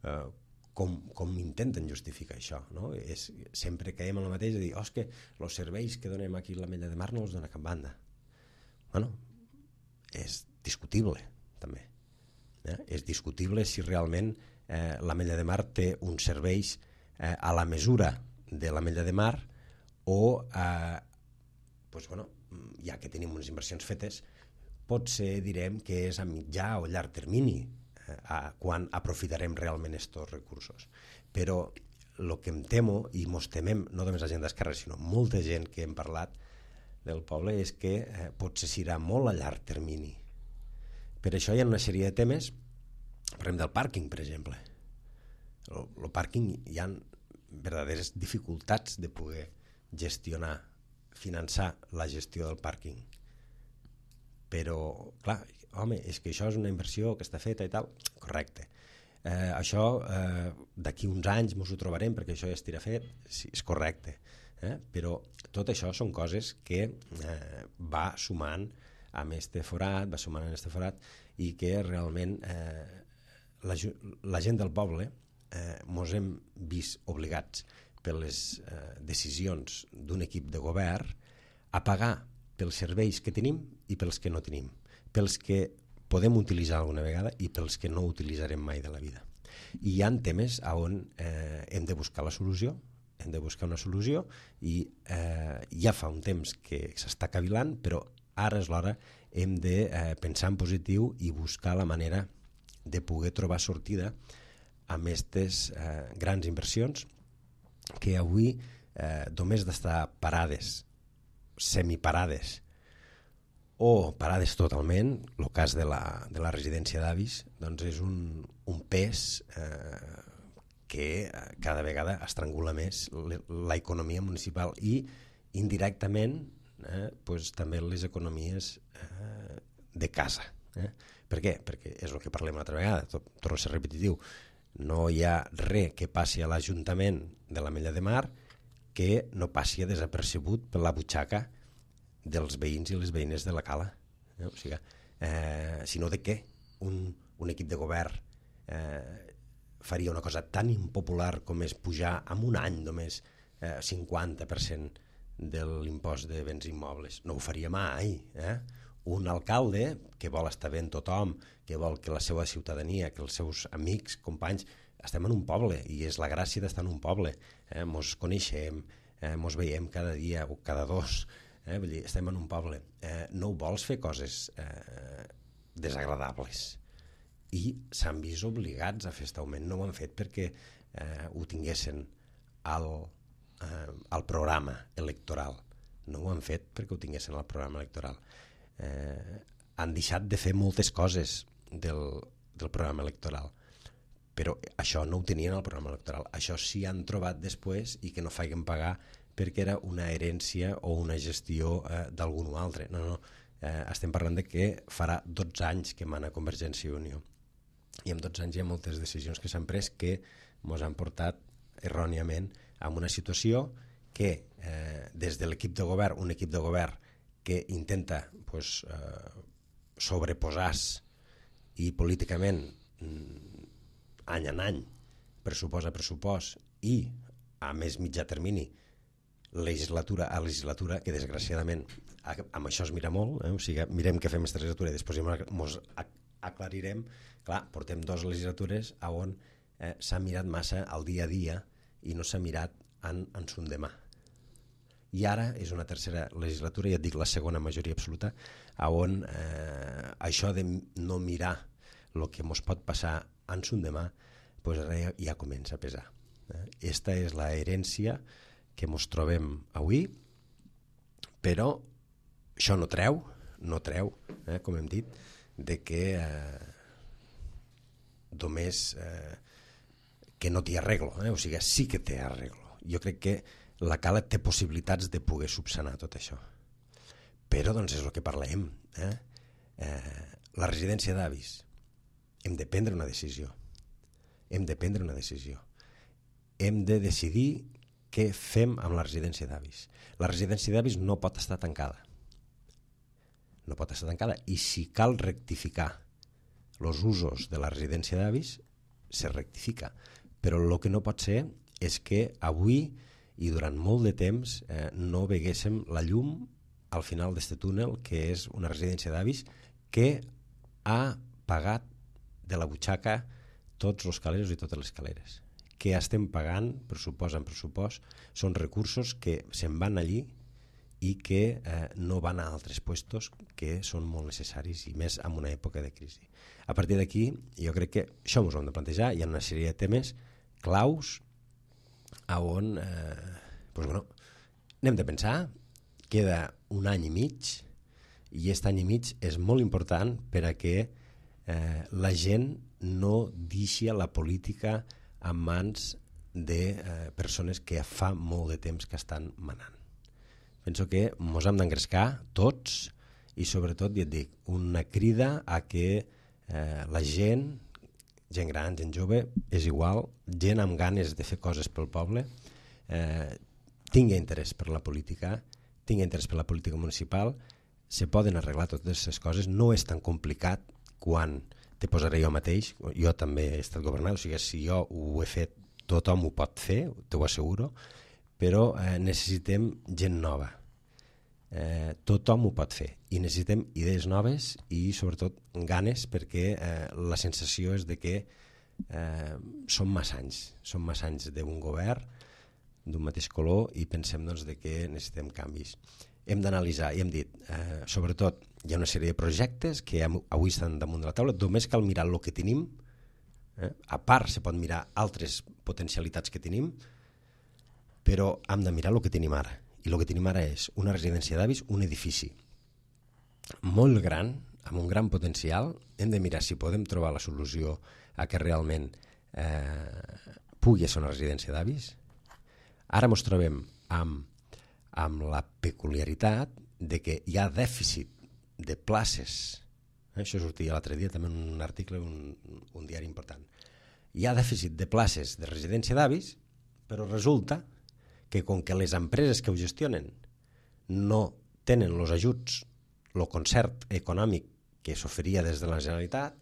eh, com, com intenten justificar això, no? És, sempre caiem en el mateix de dir, oh, és que els serveis que donem aquí a l'Ametlla de Mar no els dona cap banda. Bueno, és discutible també, eh? És discutible si realment eh, l'Ametlla de Mar té uns serveis eh, a la mesura de l'Ametlla de Mar o eh, pues, bueno, ja que tenim unes inversions fetes, potser direm que és a mitjà o llarg termini eh, a, quan aprofitarem realment aquests recursos. Però el que em temo, i mos temem, no només la gent d'Esquerra, sinó molta gent que hem parlat del poble, és que eh, potser serà molt a llarg termini. Per això hi ha una sèrie de temes, parlem del pàrquing, per exemple. El, el pàrquing hi ha verdaderes dificultats de poder gestionar, finançar la gestió del pàrquing. Però, clar, home, és que això és una inversió que està feta i tal. Correcte. Eh, això, eh, d'aquí uns anys ens ho trobarem perquè això ja estirà fet. Sí, és correcte. Eh? Però tot això són coses que eh, va sumant amb este forat, va sumant amb este forat, i que realment eh, la, la gent del poble eh, mos hem vist obligats per les eh, decisions d'un equip de govern a pagar pels serveis que tenim i pels que no tenim, pels que podem utilitzar alguna vegada i pels que no utilitzarem mai de la vida. I hi ha temes on eh, hem de buscar la solució hem de buscar una solució i eh, ja fa un temps que s'està cavilant, però ara és l'hora, hem de eh, pensar en positiu i buscar la manera de poder trobar sortida amb aquestes eh, grans inversions que avui eh, només d'estar parades, semiparades o parades totalment, el cas de la, de la residència d'avis, doncs és un, un pes eh, que cada vegada estrangula més l'economia municipal i indirectament eh, pues, també les economies eh, de casa. Eh? Per què? Perquè és el que parlem una altra vegada, tot, torno a ser repetitiu, no hi ha res que passi a l'Ajuntament de l'Ametlla de Mar que no passi desapercebut per la butxaca dels veïns i les veïnes de la cala. Eh? O sigui, eh, sinó de què un, un equip de govern eh, faria una cosa tan impopular com és pujar en un any només eh, cinquanta per cent de l'impost de béns immobles. No ho faria mai. Eh? Un alcalde que vol estar bé en tothom, que vol que la seva ciutadania, que els seus amics, companys, estem en un poble i és la gràcia d'estar en un poble. Eh? Mos coneixem, eh, mos veiem cada dia o cada dos, eh? Vull dir, estem en un poble. Eh, no vols fer coses eh, desagradables i s'han vist obligats a fer aquest augment. No ho han fet perquè eh, ho tinguessin al, eh, al programa electoral. No ho han fet perquè ho tinguessin al programa electoral. Eh, han deixat de fer moltes coses del, del programa electoral, però això no ho tenien al programa electoral. Això sí han trobat després i que no feien pagar perquè era una herència o una gestió eh, d'algun altre. No, no, eh, estem parlant de que farà dotze anys que mana Convergència i Unió. I en dotze anys hi ha moltes decisions que s'han pres que ens han portat erròniament a una situació que eh, des de l'equip de govern, un equip de govern que intenta pues, eh, sobreposar-se i políticament any en any, pressupost a pressupost i a més mitjà termini, legislatura a legislatura, que desgraciadament amb això es mira molt, eh? O sigui, mirem què fem aquesta legislatura i després ens aclarirem. Clar, portem dues legislatures on eh, s'ha mirat massa al dia a dia i no s'ha mirat en, en son demà. I ara és una tercera legislatura, ja et dic la segona majoria absoluta, on eh, això de no mirar el que ens pot passar en son demà pues ja, ja comença a pesar. Esta és la herència que ens trobem avui, però això no treu, no treu, eh, com hem dit, de que eh, només eh, que no t'hi arreglo, eh? O sigui, sí que t'hi arreglo. Jo crec que la cala té possibilitats de poder subsanar tot això. Però doncs és el que parlem. Eh? Eh, la residència d'avis, hem de prendre una decisió. Hem de prendre una decisió. Hem de decidir què fem amb la residència d'avis. La residència d'avis no pot estar tancada. No pot estar tancada. I si cal rectificar els usos de la residència d'avis, se rectifica. Però el que no pot ser és que avui i durant molt de temps eh, no veguéssim la llum al final d'aquest túnel, que és una residència d'avis que ha pagat de la butxaca tots els caleros i totes les caleres. Que estem pagant, pressupost en pressupost, són recursos que se'n van allí i que eh, no van a altres puestos que són molt necessaris i més en una època de crisi. A partir d'aquí, jo crec que això ens ho hem de plantejar. Hi ha una sèrie de temes claus a on eh, doncs, bueno, n'hem de pensar. Queda un any i mig i aquest any i mig és molt important per a que eh, la gent no deixi la política en mans de eh, persones que fa molt de temps que estan manant. Penso que ens hem d'engrescar tots i sobretot, ja et dic, una crida a que eh, la gent, gent gran, gent jove, és igual, gent amb ganes de fer coses pel poble, eh, tingui interès per la política, tingui interès per la política municipal, se poden arreglar totes aquestes coses, no és tan complicat quan te posaré jo mateix, jo també he estat governant, o sigui, si jo ho he fet, tothom ho pot fer, t'ho asseguro, però eh, necessitem gent nova. Eh, tothom ho pot fer i necessitem idees noves i sobretot ganes, perquè eh, la sensació és de que eh, són massa anys, són massa anys d'un govern d'un mateix color i pensem doncs, de que necessitem canvis. Hem d'analitzar, i hem dit, eh, sobretot hi ha una sèrie de projectes que avui estan damunt de la taula, només cal mirar el que tenim, eh? A part se pot mirar altres potencialitats que tenim, però hem de mirar el que tenim ara, i el que tenim ara és una residència d'avis, un edifici molt gran, amb un gran potencial. Hem de mirar si podem trobar la solució a que realment eh, pugui ser una residència d'avis. Ara ens trobem amb amb la peculiaritat de que hi ha dèficit de places. Això sortia l'altre dia també en un article, un, un diari important. Hi ha dèficit de places de residència d'avis, però resulta que com que les empreses que ho gestionen no tenen els ajuts, el concert econòmic que s'oferia des de la Generalitat,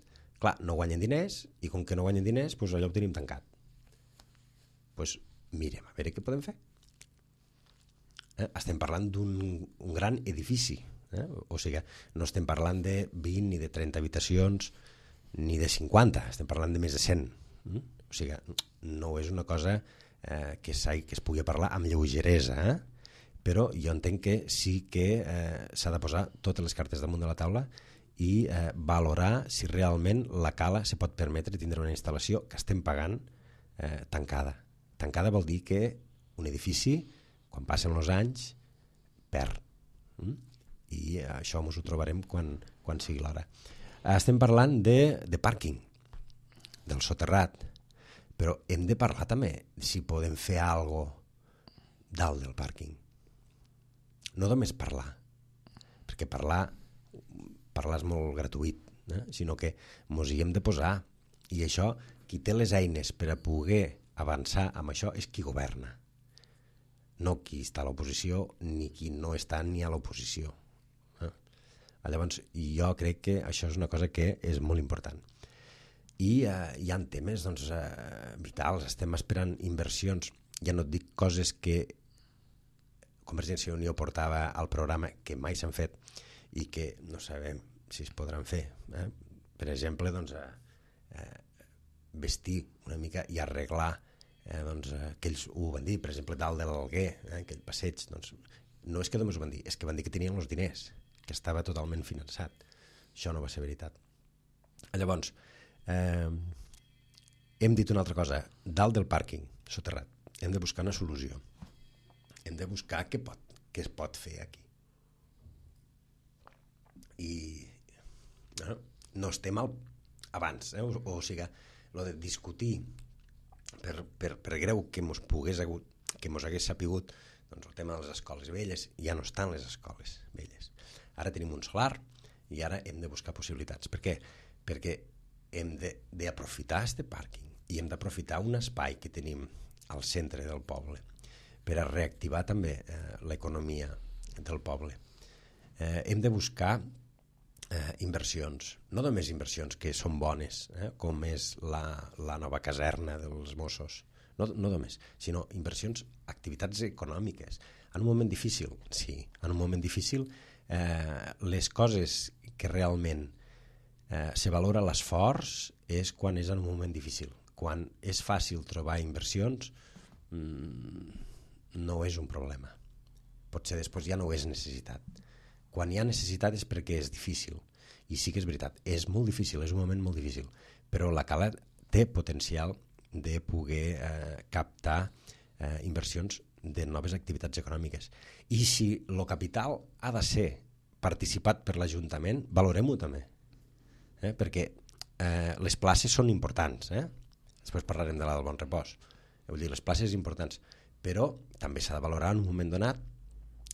clar, no guanyen diners, i com que no guanyen diners, doncs allò ho tenim tancat. Doncs mirem a veure què podem fer. Eh? Estem parlant d'un un gran edifici, eh? O sigui, no estem parlant de vint ni de trenta habitacions ni de cinquanta, estem parlant de més de cent. Eh? O sigui, no és una cosa eh, que, que es pugui parlar amb lleugeresa, eh? Però jo entenc que sí que eh, s'ha de posar totes les cartes damunt de la taula i eh, valorar si realment la Cala se pot permetre tindre una instal·lació que estem pagant eh, tancada. Tancada vol dir que un edifici, quan passen els anys, perd. Mm? I això ens ho trobarem quan, quan sigui l'hora. Estem parlant de, de pàrquing, del soterrat, però hem de parlar també si podem fer alguna cosa dalt del pàrquing. No només parlar, perquè parlar, parlar és molt gratuït, eh? Sinó que ens hi hem de posar. I això, qui té les eines per a poder avançar amb això és qui governa. No qui està a l'oposició ni qui no està ni a l'oposició. Eh? Llavors, jo crec que això és una cosa que és molt important. I eh, hi ha temes doncs, eh, vitals, estem esperant inversions, ja no et dic coses que Convergència i Unió portava al programa que mai s'han fet i que no sabem si es podran fer. Eh? Per exemple, doncs, eh, vestir una mica i arreglar Eh, doncs, eh, que ells ho van dir, per exemple, dalt de l'Alguer, eh, aquell passeig, doncs, no és que només ho van dir, és que van dir que tenien els diners, que estava totalment finançat. Això no va ser veritat. Llavors, eh, hem dit una altra cosa, dalt del pàrquing soterrat, hem de buscar una solució. Hem de buscar què, pot, què es pot fer aquí. I no, no estem al, abans, eh, o, o sigui, lo de discutir Per, per, per greu que mos pogués hagut, que mos hagués sapigut, doncs el tema de les escoles velles, ja no estan les escoles velles. Ara tenim un solar i ara hem de buscar possibilitats. Per què? Perquè hem d'aprofitar aquest pàrquing i hem d'aprofitar un espai que tenim al centre del poble per a reactivar també eh, l'economia del poble. Eh, hem de buscar Eh, inversions, no només inversions que són bones, eh, com és la, la nova caserna dels Mossos, no, no només, sinó inversions, activitats econòmiques. En un moment difícil, sí, en un moment difícil, eh, les coses que realment eh, se valora l'esforç és quan és en un moment difícil. Quan és fàcil trobar inversions, mmm, no és un problema. Potser després ja no és necessitat. Quan hi ha necessitat és perquè és difícil. I sí que és veritat, és molt difícil, és un moment molt difícil, però la Cala té potencial de poder eh, captar eh, inversions de noves activitats econòmiques. I si el capital ha de ser participat per l'Ajuntament, valorem-ho també. Eh? Perquè eh, les places són importants. Eh? Després parlarem de la del Bon Repòs. Vull dir, les places importants. Però també s'ha de valorar en un moment donat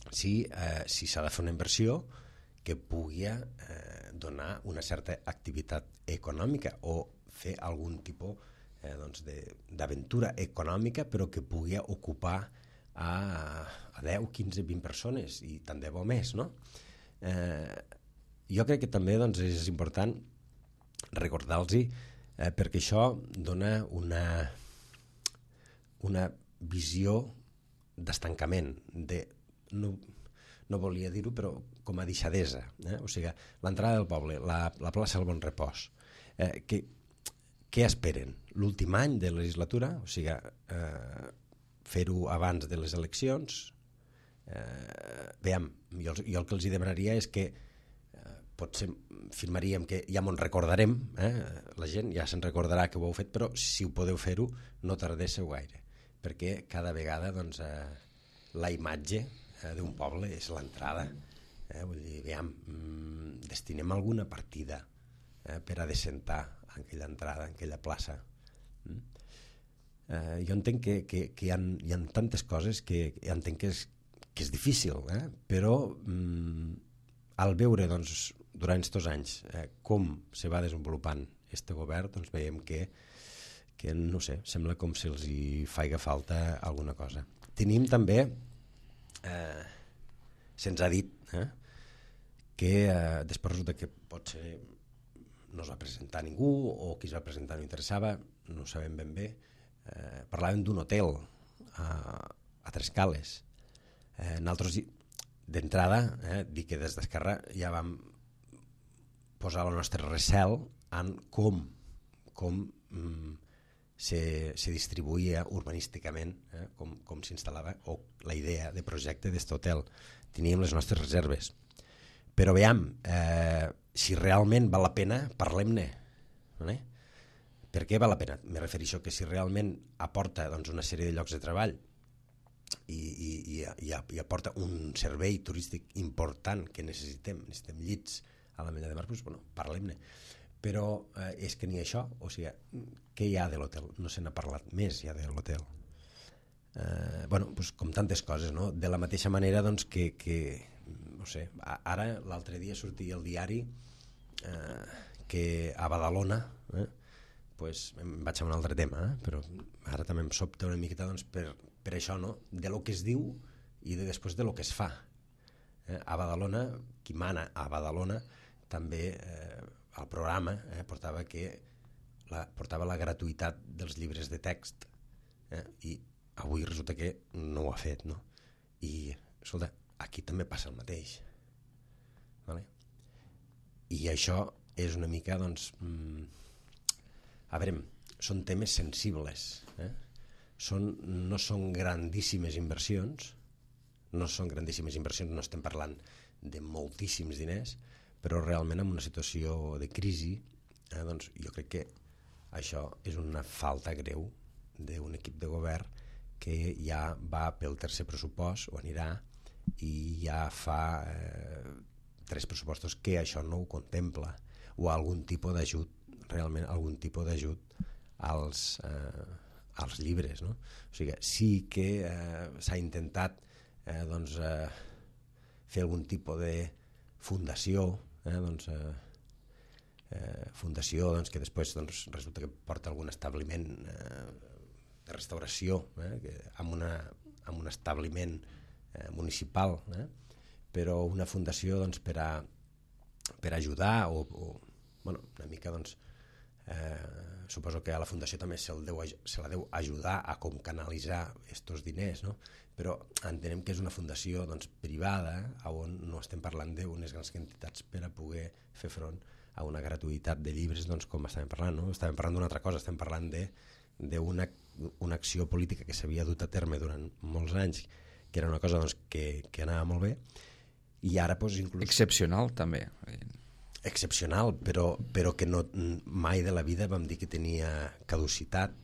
si eh, si s'ha de fer una inversió que pugui eh, donar una certa activitat econòmica o fer algun tipus eh, doncs d'aventura econòmica, però que pugui ocupar a, a deu, quinze, vint persones i tant de bo més, no? Eh, jo crec que també doncs, és important recordar-los eh, perquè això dona una una visió d'estancament, de no, no volia dir-ho, però com a deixadesa. Eh? O sigui, l'entrada del poble, la, la plaça del Bon Repòs. Eh, que, què esperen? L'últim any de legislatura? O sigui, eh, fer-ho abans de les eleccions. Eh, veiem, jo, jo el que els hi demanaria és que eh, potser firmaríem que ja m'ho recordarem, eh? La gent ja se'n recordarà que ho heu fet, però si ho podeu fer-ho no tardéssiu gaire, perquè cada vegada doncs, eh, la imatge eh, d'un poble és l'entrada. Eh? Vull dir, veiem, mm, destinem alguna partida eh, per a desentar en aquella entrada, en aquella plaça. Mm? Eh, jo entenc que, que, que hi, ha, hi ha tantes coses que entenc que és, que és difícil, eh? Però mm, al veure doncs, durant aquests anys eh, com se va desenvolupant este govern, doncs veiem que, que no sé, sembla com si els hi faiga falta alguna cosa. Tenim també, eh, se'ns ha dit, eh, que eh, després resulta que potser no es va presentar ningú o qui es va presentar no interessava, no ho sabem ben bé. Eh, parlàvem d'un hotel a, a Trescales. Eh, nosaltres d'entrada eh, dir que des d'Esquerra ja vam posar el nostre recel en com, com mm, se, se distribuïa urbanísticament, eh, com, com s'instal·lava o la idea de projecte d'aquest hotel. Teníem les nostres reserves. Però veiem, eh, si realment val la pena, parlem-ne. Eh? Per què val la pena? Me refereixo que si realment aporta doncs, una sèrie de llocs de treball i, i, i, i, i aporta un servei turístic important que necessitem, necessitem llits a la Mella de Mar, doncs, bueno, parlem-ne. Però eh, és que ni això, o sigui, què hi ha de l'hotel? No se n'ha parlat més ja de l'hotel. Eh, bueno, doncs, com tantes coses, no? De la mateixa manera doncs, que, que no sé, ara l'altre dia sortia el diari eh, que a Badalona, eh, pues, em vaig a un altre tema, eh, però ara també em sobta una miqueta doncs, per, per això, no? De lo que es diu i de després de lo que es fa. Eh, a Badalona, qui mana a Badalona, també eh, al programa eh, portava, que la, portava la gratuïtat dels llibres de text eh, i avui resulta que no ho ha fet, no? I, escolta, aquí també passa el mateix. Vale? I això és una mica, doncs, mmm, a veure, són temes sensibles. Eh? Són, no són grandíssimes inversions, no són grandíssimes inversions, no estem parlant de moltíssims diners, però realment en una situació de crisi, eh, doncs jo crec que això és una falta greu d'un equip de govern que ja va pel tercer pressupost, o anirà, i ja fa eh, tres pressupostos que això no ho contempla, o algun tipus d'ajut, realment algun tipus d'ajut als, eh, als llibres, no? O sigui, sí que eh, s'ha intentat eh, doncs, eh, fer algun tipus de fundació, eh, doncs, eh, eh, fundació doncs, que després doncs, resulta que porta algun establiment eh, de restauració, eh, que, amb, una, amb un establiment Eh, municipal, eh? Però una fundació doncs, per, a, per ajudar o, o bueno, una mica doncs, eh, suposo que a la fundació també se, deu, se la deu ajudar a com canalitzar aquests diners, no? Però entenem que és una fundació doncs, privada on no estem parlant d'unes grans quantitats per a poder fer front a una gratuïtat de llibres doncs, com estàvem parlant, no? Estàvem parlant d'una altra cosa, estem parlant d'una una acció política que s'havia dut a terme durant molts anys, que era una cosa doncs, que, que anava molt bé, i ara doncs, inclús... Excepcional, també. Excepcional, però, però que no, mai de la vida vam dir que tenia caducitat,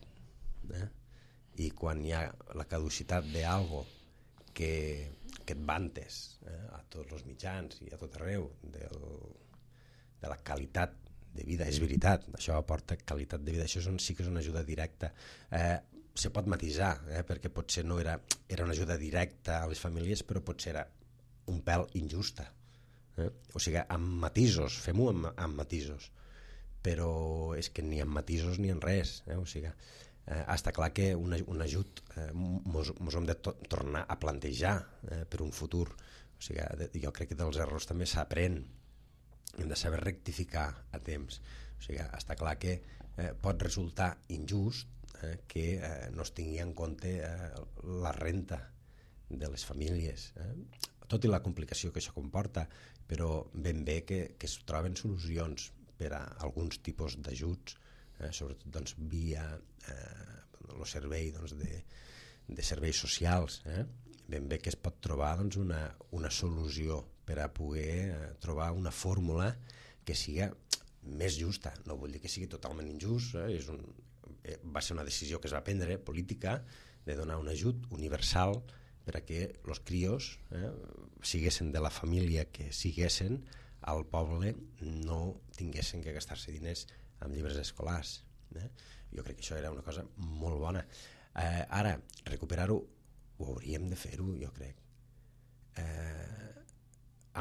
eh? I quan hi ha la caducitat d'algo que, que et vantes eh? a tots els mitjans i a tot arreu del, de la qualitat de vida, és veritat, això aporta qualitat de vida, això és un, sí que és una ajuda directa. Eh, se pot matisar, eh, perquè potser no era, era una ajuda directa a les famílies, però potser era un pèl injusta. Eh? O sigui, amb matisos, fem-ho amb, amb matisos, però és que ni amb matisos ni en res. Eh? O sigui, eh, està clar que un, un ajut eh, mos, mos hem de to tornar a plantejar eh, per un futur. O sigui, de, jo crec que dels errors també s'aprèn, hem de saber rectificar a temps. O sigui, està clar que eh, pot resultar injust eh, que eh, no es tingui en compte eh, la renta de les famílies, eh? Tot i la complicació que això comporta, però ben bé que, que es troben solucions per a alguns tipus d'ajuts, eh, sobretot doncs, via eh, el servei doncs, de, de serveis socials, eh? ben bé que es pot trobar doncs, una, una solució per a poder eh, trobar una fórmula que siga més justa. No vull dir que sigui totalment injust, eh? És un, eh, va ser una decisió que es va prendre, política, de donar un ajut universal per a que els crios eh, siguessin de la família que siguessin, al poble no tinguessin que gastar-se diners amb llibres escolars. Eh? Jo crec que això era una cosa molt bona. Eh, ara, recuperar-ho, ho hauríem de fer-ho, jo crec. Eh,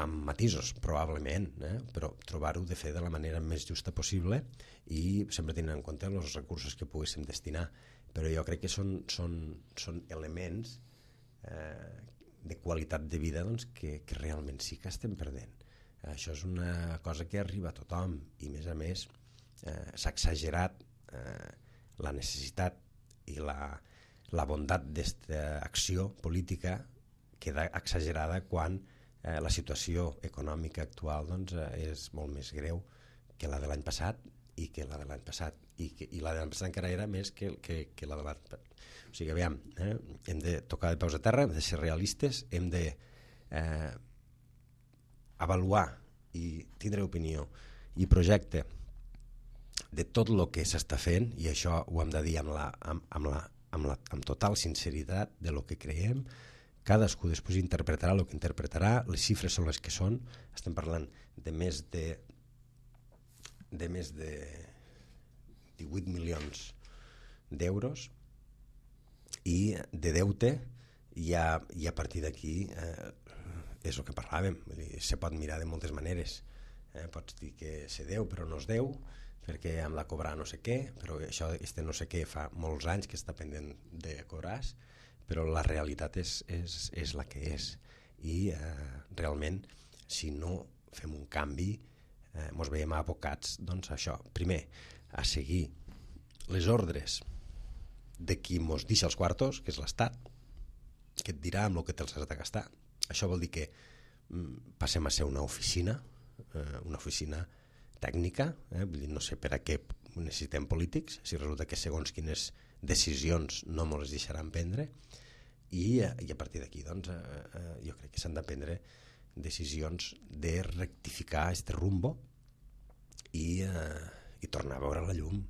amb matisos, probablement, eh? Però trobar-ho de fer de la manera més justa possible i sempre tenint en compte els recursos que poguéssim destinar. Però jo crec que són, són, són elements eh, de qualitat de vida doncs, que, que realment sí que estem perdent. Això és una cosa que arriba a tothom i, a més a més, eh, s'ha exagerat eh, la necessitat i la, la bondat d'esta acció política queda exagerada quan eh, la situació econòmica actual doncs, eh, és molt més greu que la de l'any passat i que la de l'any passat i, que, i la de l'any passat encara era més que, que, que la de l'any passat. O sigui, aviam, eh, hem de tocar de peus a terra, hem de ser realistes, hem de eh, avaluar i tindre opinió i projecte de tot el que s'està fent, i això ho hem de dir amb, la, amb, amb, la, amb, la, amb total sinceritat de lo que creiem. Cadascú després interpretarà el que interpretarà, les xifres són les que són, estem parlant de més de de més de divuit milions d'euros i de deute, i a, i a partir d'aquí eh, és el que parlàvem, vull dir, se pot mirar de moltes maneres, eh? Pots dir que se deu però no es deu perquè hem de cobrar no sé què, però això este no sé què fa molts anys que està pendent de cobrar, però la realitat és, és, és la que és, i eh, realment si no fem un canvi eh, ens veiem abocats doncs, a això, primer a seguir les ordres de qui ens deixa els quartos, que és l'Estat, que et dirà amb el que te'ls has de gastar. Això vol dir que mm, passem a ser una oficina, eh, una oficina tècnica, eh? Vull dir, no sé per a què necessitem polítics, si resulta que segons quines decisions no ens les deixaran prendre, i, eh, i a partir d'aquí doncs, eh, eh, jo crec que s'han de prendre decisions de rectificar este rumbo i, eh, i tornar a veure la llum,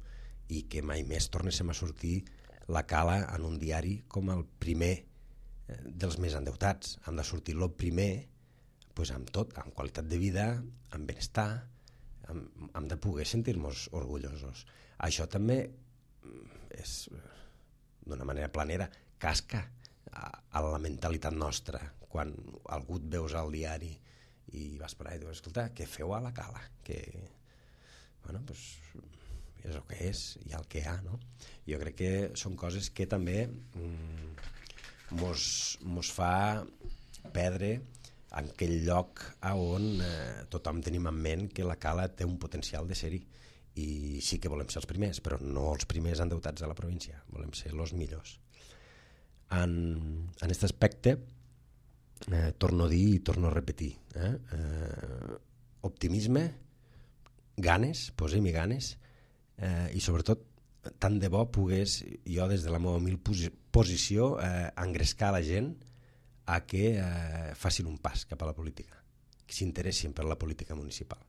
i que mai més tornéssim a sortir la Cala en un diari com el primer eh, dels més endeutats. Hem de sortir el primer pues, amb tot, amb qualitat de vida, amb benestar, hem, hem de poder sentir-nos orgullosos. Això també és, d'una manera planera, casca a, a la mentalitat nostra. Quan algú et veus al diari i vas per allà i dius, escolta, què feu a la Cala? Que, bueno, pues, és el que és, i el que hi ha, no? Jo crec que són coses que també mm, mos, mos fa perdre en aquell lloc on eh, tothom tenim en ment que la Cala té un potencial de ser-hi, i sí que volem ser els primers, però no els primers endeutats de la província, volem ser els millors. En, en aquest aspecte eh, torno a dir i torno a repetir, eh? Eh, optimisme, ganes, posem-hi ganes, eh, i sobretot tant de bo pogués jo des de la meva humil posició eh, engrescar la gent a que eh, facin un pas cap a la política, que s'interessin per la política municipal.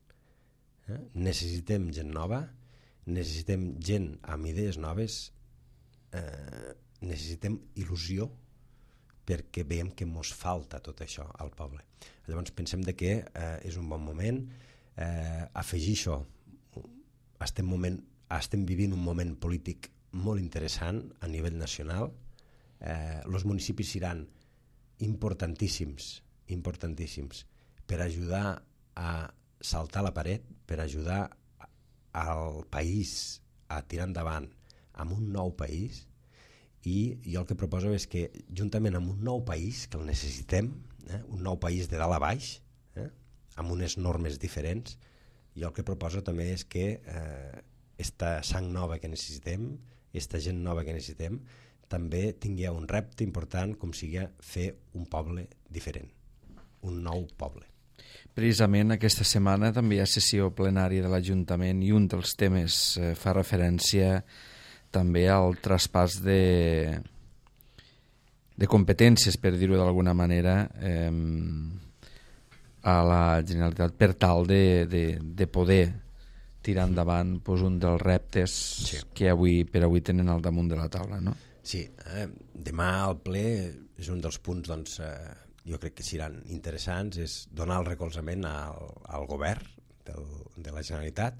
Eh? Necessitem gent nova, necessitem gent amb idees noves, eh, necessitem il·lusió, perquè veiem que mos falta tot això al poble. Llavors pensem de que eh, és un bon moment eh, afegir això. Estem, moment, estem vivint un moment polític molt interessant a nivell nacional. Eh, els municipis seran importantíssims, importantíssims per ajudar a saltar la paret, per ajudar al país a tirar endavant amb un nou país. I jo el que proposo és que, juntament amb un nou país, que el necessitem, eh, un nou país de dalt a baix, eh, amb unes normes diferents, jo el que proposo també és que eh, esta sang nova que necessitem, esta gent nova que necessitem, també tingui un repte important com sigui fer un poble diferent, un nou poble. Precisament aquesta setmana també hi ha sessió plenària de l'Ajuntament i un dels temes eh, fa referència també al traspàs de, de competències, per dir-ho d'alguna manera, eh, a la Generalitat per tal de, de, de poder tirar endavant pues, un dels reptes sí. que avui per avui tenen al damunt de la taula, no? Sí, eh, demà al ple és un dels punts, doncs, eh, jo crec que seran interessants, és donar el recolzament al, al govern del, de la Generalitat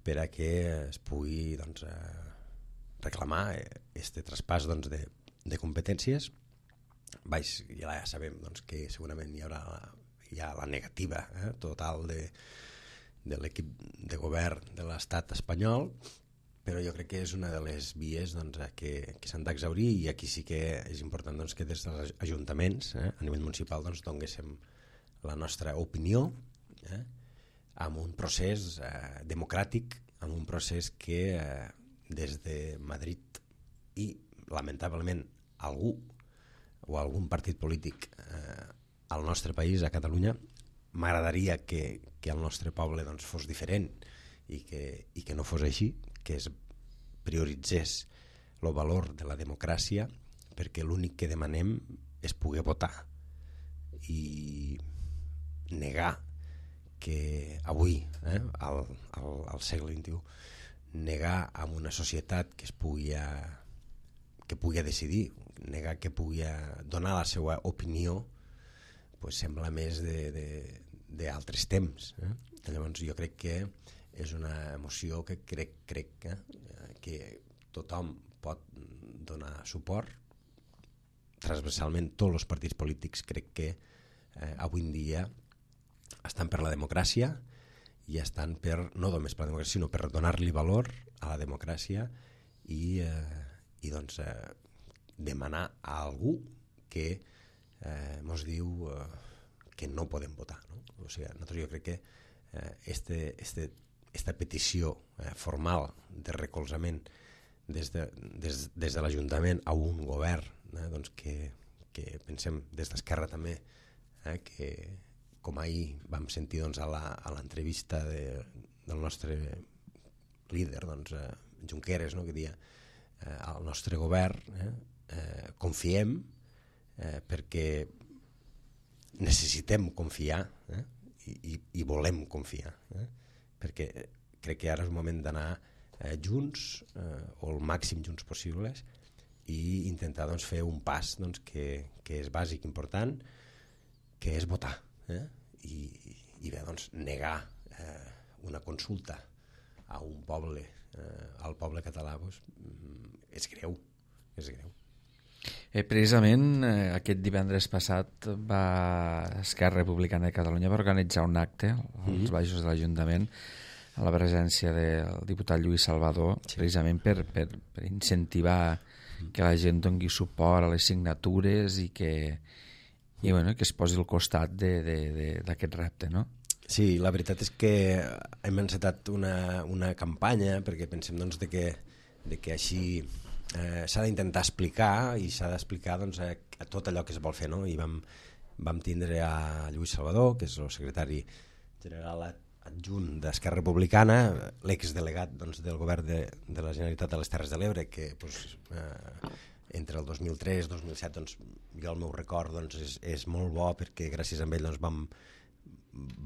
per a que es pugui doncs, eh, reclamar este traspàs doncs, de, de competències. Baix, ja sabem doncs, que segurament hi haurà la, hi ha la negativa eh, total de, de l'equip de govern de l'estat espanyol, però jo crec que és una de les vies doncs, que, que s'han d'exaurir, i aquí sí que és important doncs, que des dels ajuntaments eh, a nivell municipal doncs, donguéssim la nostra opinió eh, amb un procés eh, democràtic, amb un procés que eh, des de Madrid i lamentablement algú o algun partit polític eh, al nostre país, a Catalunya, m'agradaria que, que el nostre poble doncs, fos diferent i que, i que no fos així, que es prioritzés el valor de la democràcia, perquè l'únic que demanem és poder votar i negar que avui, eh, al, al, al segle vint-i-u, negar a una societat que es pugui a, que pugui decidir, negar que pugui donar la seva opinió, pues sembla més d'altres temps. Eh? Llavors jo crec que és una emoció que crec, crec eh, que tothom pot donar suport, transversalment tots els partits polítics crec que eh, avui en dia estan per la democràcia i estan per, no només per la democràcia, sinó per donar-li valor a la democràcia i, eh, i doncs, eh, demanar a algú que eh, mos diu eh, que no podem votar. No? O sigui, nosaltres jo crec que eh, este, este, esta petició eh, formal de recolzament des de, des, des de l'Ajuntament a un govern eh, doncs que, que pensem des d'Esquerra també eh, que com ahir vam sentir doncs, a l'entrevista de, del nostre líder doncs, eh, Junqueras, no? que dia eh, al nostre govern eh, eh, confiem eh, perquè necessitem confiar eh, i, i volem confiar eh, perquè crec que ara és el moment d'anar eh, junts eh, o el màxim junts possibles i intentar doncs, fer un pas doncs, que, que és bàsic, important, que és votar eh? I, i bé, doncs, negar eh, una consulta a un poble, eh, al poble català doncs, és greu, és greu. Eh, precisament eh, aquest divendres passat va Esquerra Republicana de Catalunya va organitzar un acte als mm-hmm. baixos de l'Ajuntament a la presència del diputat Lluís Salvador, sí. precisament per, per, per incentivar que la gent doni suport a les signatures i que, i, bueno, que es posi al costat d'aquest repte, no? Sí, la veritat és que hem encetat una, una campanya perquè pensem doncs, de que, de que així eh, s'ha d'intentar explicar i s'ha d'explicar doncs, a, a tot allò que es vol fer, no? I vam, vam tindre a Lluís Salvador, que és el secretari general adjunt d'Esquerra Republicana, l'exdelegat doncs, del govern de, de la Generalitat de les Terres de l'Ebre, que doncs, eh, entre el dos mil tres i dos mil set doncs, jo el meu record doncs, és, és molt bo perquè gràcies a ell doncs, vam,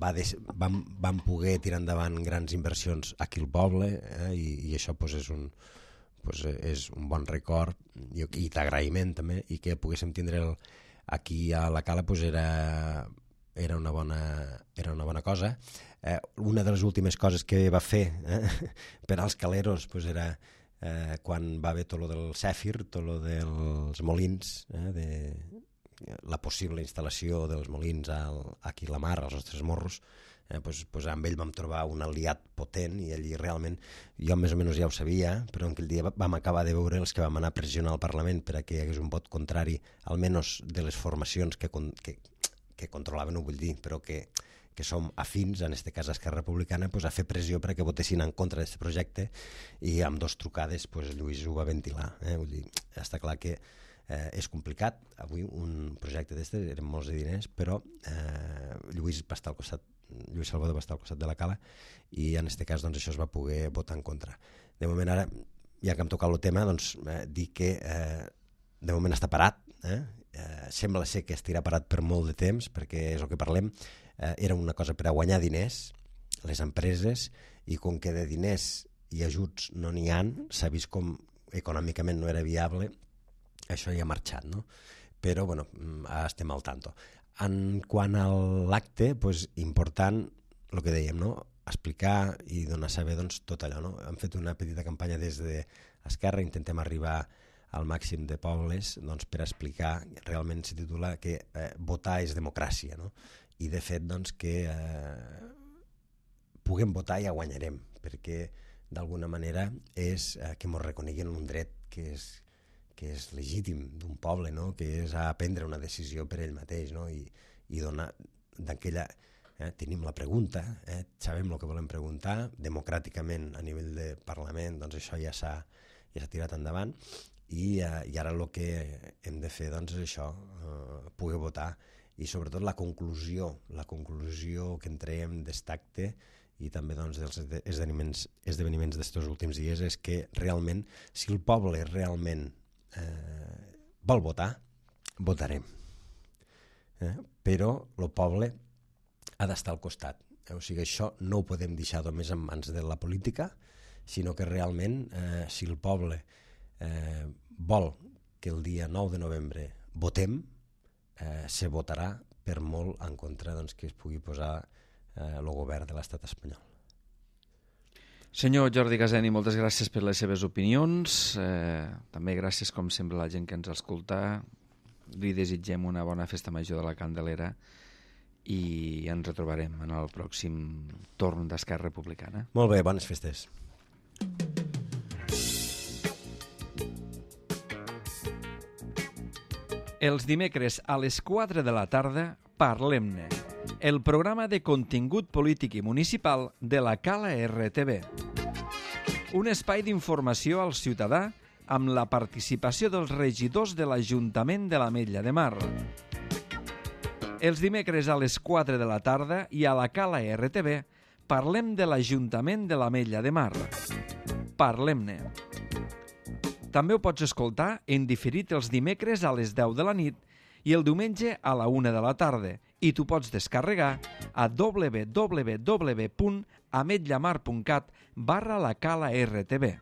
va des, vam, vam poder tirar endavant grans inversions aquí al poble eh, i, i això doncs, és, un, doncs, és un bon record i, i d'agraïment també, i que poguéssim tindre el, aquí a la Cala doncs, era, era, una bona, era una bona cosa. Eh, una de les últimes coses que va fer eh, per als caleros doncs, era eh, quan va haver tot lo del Cèfir, tot lo dels molins, eh, de, la possible instal·lació dels molins al, aquí a la mar, als nostres morros, eh, doncs, doncs amb ell vam trobar un aliat potent i allí realment, jo més o menys ja ho sabia, però aquell dia vam acabar de veure els que vam anar a pressionar al Parlament per a que hi hagués un vot contrari, almenys de les formacions que, que, que controlaven, ho vull dir, però que que som afins, en aquest cas Esquerra Republicana, pues, a fer pressió perquè votessin en contra d'aquest projecte i amb dos trucades pues, Lluís ho va ventilar. Eh? Vull dir, està clar que eh, és complicat. Avui un projecte d'aquest eren molts de diners, però eh, Lluís va estar al costat, Lluís Salvador va estar al costat de la Cala i en aquest cas doncs, això es va poder votar en contra. De moment ara, ja que hem tocat el tema, doncs, eh, dir que eh, de moment està parat eh? Eh, sembla ser que estirà parat per molt de temps, perquè és el que parlem, eh, era una cosa per a guanyar diners, les empreses, i com que de diners i ajuts no n'hi han, s'ha vist com econòmicament no era viable, això ja ha marxat, no? Però, bueno, estem al tanto. En quant a l'acte, doncs, important, el que dèiem, no? Explicar i donar a saber doncs, tot allò. No? Hem fet una petita campanya des d'Esquerra, intentem arribar al màxim de pobles doncs, per explicar, realment se titula que eh, votar és democràcia, no? I de fet doncs, que eh, puguem votar i ja guanyarem, perquè d'alguna manera és eh, que ens reconeguin un dret que és, que és legítim d'un poble, no? Que és a prendre una decisió per ell mateix, no? I, i donar d'aquella... Eh, tenim la pregunta, eh, sabem el que volem preguntar, democràticament a nivell de Parlament, doncs això ja s'ha ja s'ha tirat endavant i, eh, i ara el que hem de fer doncs, és això, eh, poder votar i sobretot la conclusió, la conclusió que en traiem d'estacte i també doncs, dels esdeveniments esdeveniments d'estos últims dies és que realment, si el poble realment eh, vol votar, votarem. Eh? Però el poble ha d'estar al costat. O sigui, això no ho podem deixar només en mans de la política, sinó que realment, eh, si el poble eh, vol que el dia nou de novembre votem, eh, se votarà per molt en contra doncs, que es pugui posar eh, el govern de l'estat espanyol. Senyor Jordi Gaseni, moltes gràcies per les seves opinions. Eh, també gràcies, com sempre, a la gent que ens escolta. Li desitgem una bona festa major de la Candelera i ens retrobarem en el pròxim torn d'Esquerra Republicana. Molt bé, bones festes. Els dimecres a les quatre de la tarda, Parlem-ne, el programa de contingut polític i municipal de la Cala R T V. Un espai d'informació al ciutadà amb la participació dels regidors de l'Ajuntament de l'Ametlla de Mar. Els dimecres a les quatre de la tarda i a la Cala R T V parlem de l'Ajuntament de l'Ametlla de Mar. Parlem-ne. També ho pots escoltar en diferit els dimecres a les deu de la nit i el diumenge a la una de la tarda i tu pots descarregar a w w w punt ametlamar punt cat barra la Cala R T V.